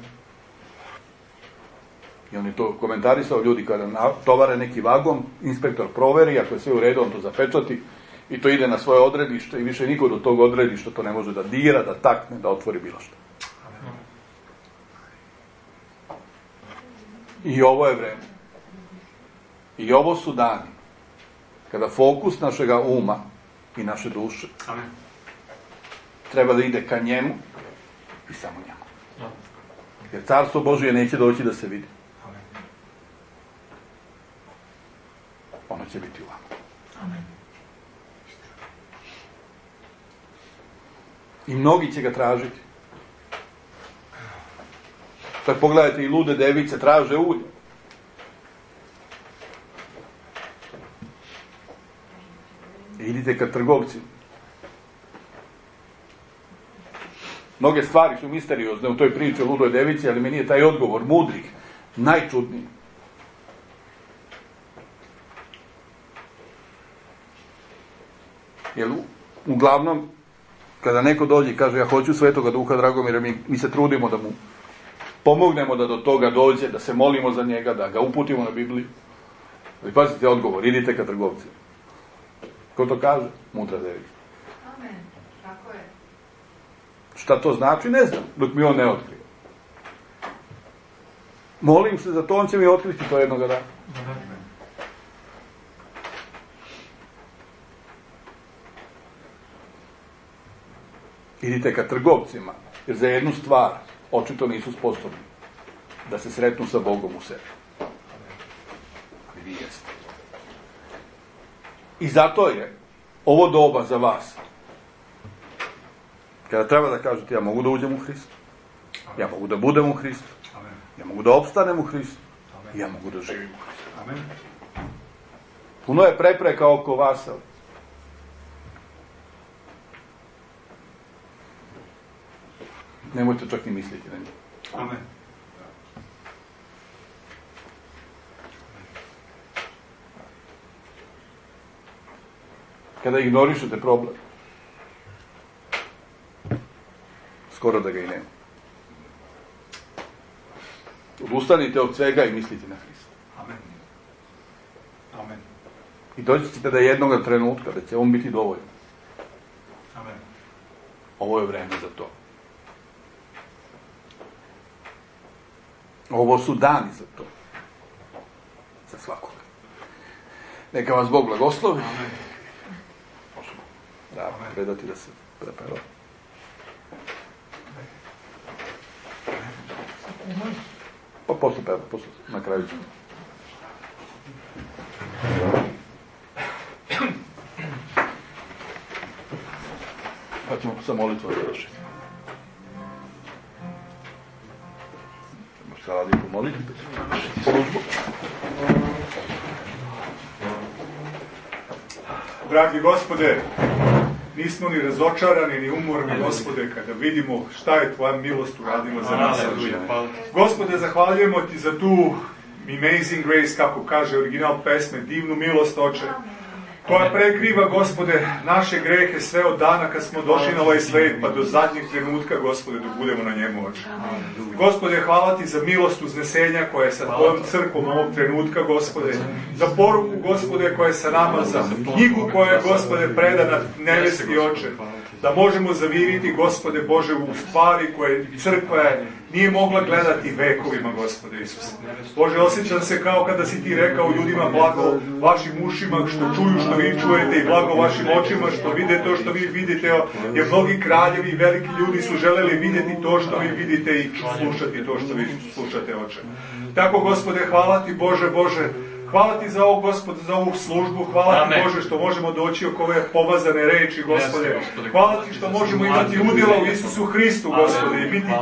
I on je to komentarisao, ljudi kada tovare neki vagon, inspektor proveri, ako je sve u redu, on to zapečati i to ide na svoje odredište i više niko do tog odredišta to ne može da dira, da takne, da otvori bilo što. Amen. I ovo je vreme. I ovo su dani kada fokus našega uma i naše duše Amen. treba da ide ka njemu i samo njemu. Jer carstvo Božije neće doći da se vidi. Amen. Ono će biti u vama. Amen. I mnogi će ga tražiti. Sad pogledajte, i lude device traže ulje. I idite ka trgovcima. Mnoge stvari su misteriozne u toj priči o ludoj devici, ali meni je taj odgovor mudrih najčudniji. Jer uglavnom, kada neko dođe i kaže ja hoću Svetoga Duha Dragomira, mi se trudimo da mu pomognemo da do toga dođe, da se molimo za njega, da ga uputimo na Bibliju. Ali pazite odgovor, idite ka trgovcima. Ko to kaže? Mudra devica. Amen. Tako je. Šta to znači? Ne znam, dok mi on ne otkrije. Molim se za to, on će mi otkriti to jednoga dana. Amen. Idite ka trgovcima, jer za jednu stvar očito nisu sposobni da se sretnu sa Bogom u sebi. Ali vi jeste. I zato je ovo doba za vas. Kada treba da kažete, ja mogu da uđem u Hristu. Ja mogu da budem u Hristu. Ja mogu da opstanem u Hristu. Ja mogu da živim u Hristu. Amen. Puno je prepreka oko vas. Nemojte čak ni misliti na njih. Amen. Kada ignorišete problem, skoro da ga i nema. Odustanite od svega i mislite na Hrista. Amen. Amen. I doći ćete da jednoga trenutka da će on biti dovoljno. Amen. Ovo je vreme za to. Ovo su dani za to. Za svakoga. Neka vas Bog blagoslovi. Amen. Možemo da predati da se prepeva. Pa posle peva, posle, na kraju ćemo. Pa ćemo sa molitvom završiti. Možete radi pomoliti, pa ćemo završiti službu. Dragi Gospode, nismo ni razočarani, ni umorni, Gospode, kada vidimo šta je Tvoja milost uradila za nas. Gospode, zahvaljujemo Ti za tu Amazing Grace, kako kaže original pesme, divnu milost, Oče, koja prekriva, Gospode, naše grehe sve od dana kad smo došli na ovaj svet, pa do zadnjeg trenutka, Gospode, dok budemo na njemu, Oče. Gospode, hvala Ti za milost uznesenja koja je sa Tvojom crkvom ovog trenutka, Gospode, za poruku, Gospode, koja je sa nama, za knjigu koja je, Gospode, predana nebeski, Oče, da možemo zaviriti, Gospode Bože, u stvari koje crkva nije mogla gledati vekovima, Gospode Isuse. Bože, osjećam se kao kada si Ti rekao ljudima, blago vašim ušima što čuju što vi čujete i blago vašim očima što vide to što vi vidite, jer mnogi kraljevi i veliki ljudi su želeli vidjeti to što vi vidite i slušati to što vi slušate, Oče. Tako, Gospode, hvala Ti, Bože, hvala Ti za ovo, Gospode, za ovu službu, hvala Ti, Bože, što možemo doći oko ove pomazane reči, Gospode. Hvala Ti što možemo imati udjela u Isusu Hristu, Gospode, i biti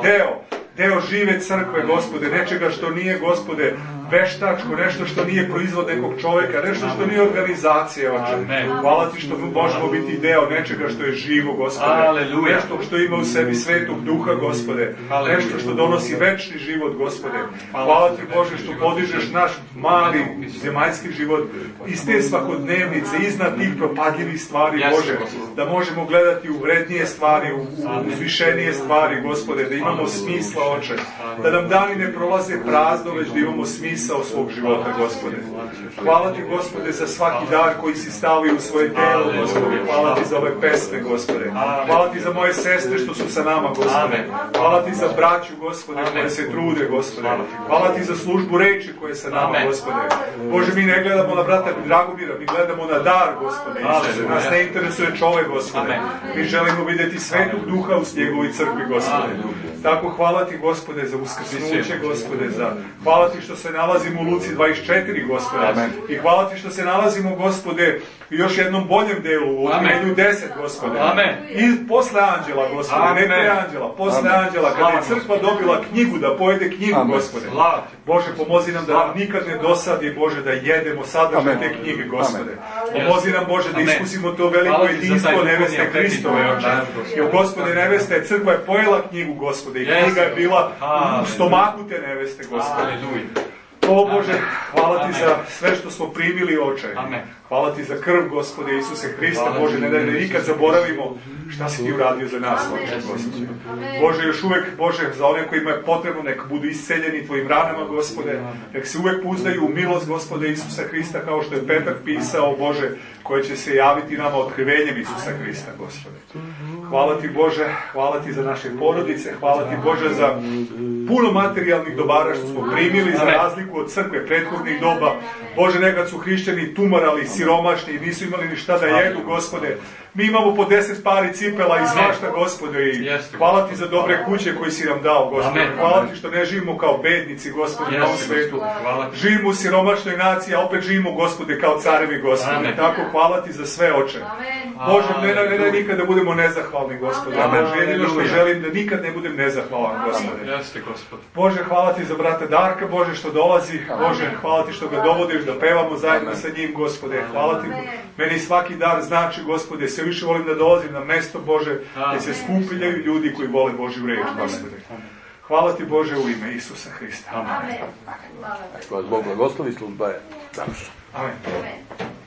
deo žive crkve, Gospode, nečega što nije, Gospode, veštačko, nešto što nije proizvod nekog čovjeka, nešto što nije organizacija, Oče. Hvala Ti što možemo biti deo nečega što je živo, Gospode. Nešto što ima u sebi Svetog Duha, Gospode. Nešto što donosi večni život, Gospode. Hvala Ti, Bože, što podižeš naš mali zemaljski život iz te svakodnevnice, iznad tih propadljivih stvari, Bože. Da možemo gledati u vrednije stvari, u uzvišenije stvari, Gospode. Da imamo smisla, Oče. Da nam dani ne prolaze prazno, već da imamo smisao svog života, Gospode. Hvala Ti, Gospode, za svaki dar koji si stavio u svoje telo, Gospode. Hvala Ti za ove pesme, Gospode. Hvala Ti za moje sestre što su sa nama, Gospode. Hvala Ti za braću, Gospode, koje se trude, Gospode. Hvala Ti za službu reči koje je sa nama, Gospode. Bože, mi ne gledamo na brata Dragomira, mi gledamo na dar, Gospode Isuse. Nas ne interesuje čovek, Gospode. Mi želimo vidjeti Svetog Duha u njegovoj crkvi, Gospode. Tako, hvala Ti, Gospode, za uskrsnuće, Gospode, hvala Ti što se nalazimo u Luci 24, Gospode. Amen. I hvala Ti što se nalazimo, Gospode, u još jednom boljem delu, u Otkrivenju 10, Gospode. Amen. I posle anđela, Gospode, ne pre anđela, posle anđela, kada je crkva dobila knjigu, da pojede knjigu, Gospode. Bože, pomozi nam da nam nikad ne dosadi, Bože, da jedemo sadržaj te knjige, Gospode. Pomozi nam, Bože, da iskusimo to veliko jedinstvo neveste Hristove, Oče. Jer, Gospode, neveste, crkva je pojela knjigu, Gospode, i knjiga je bila u stomaku te neveste, Gospode. O Bože, hvala Ti za sve što smo primili, Oče. Hvala Ti za krv, Gospode Isuse Hrista. Bože, ne da nikad zaboravimo šta si Ti uradio za nas, Oče, Gospode. Bože, još uvek, Bože, za one kojima je potrebno, nek budu isceljeni Tvojim ranama, Gospode. Nek se uvek pouzdaju u milost, Gospode Isusa Hrista, kao što je Petar pisao, Bože, koje će se javiti nama otkrivenjem Isusa Hrista, Gospode. Hvala ti Bože, hvala ti za naše porodice, hvala ti Bože za puno materijalnih dobara što smo primili za razliku od crkve prethodnih doba. Bože, nekad su hrišćani tumarali, siromašni i nisu imali ni šta da jedu, Gospode. Mi imamo po 10 pari cipela i svašta, Gospode, i hvala ti za dobre kuće koje si nam dao, Gospode. Hvala ti što ne živimo kao bednici, Gospode, na ovom svetu. Živimo u siromašnoj naciji, a opet živimo, Gospode, kao carevi, Gospode. Tako, hvala ti za sve, Oče. Bože, ne daj nikad da budemo nezahvalni, Gospode. Bože, jedino što želim da nikad ne budem nezahvalan, Gospode. Bože, hvala ti za brata Darka, Bože, što dolazi. Bože, hvala ti što ga dovodiš da pevamo zajedno sa njim, Gospode. Hvala ti, meni svaki dan znači, Gospode, sve više volim da dolazim na mesto, Bože, gdje se skupljaju ljudi koji vole Božju reč, Gospode. Hvala ti, Bože, u ime Isusa Hrista. Amen. Ako vas Bog blagoslovi, služba je završena. Amen.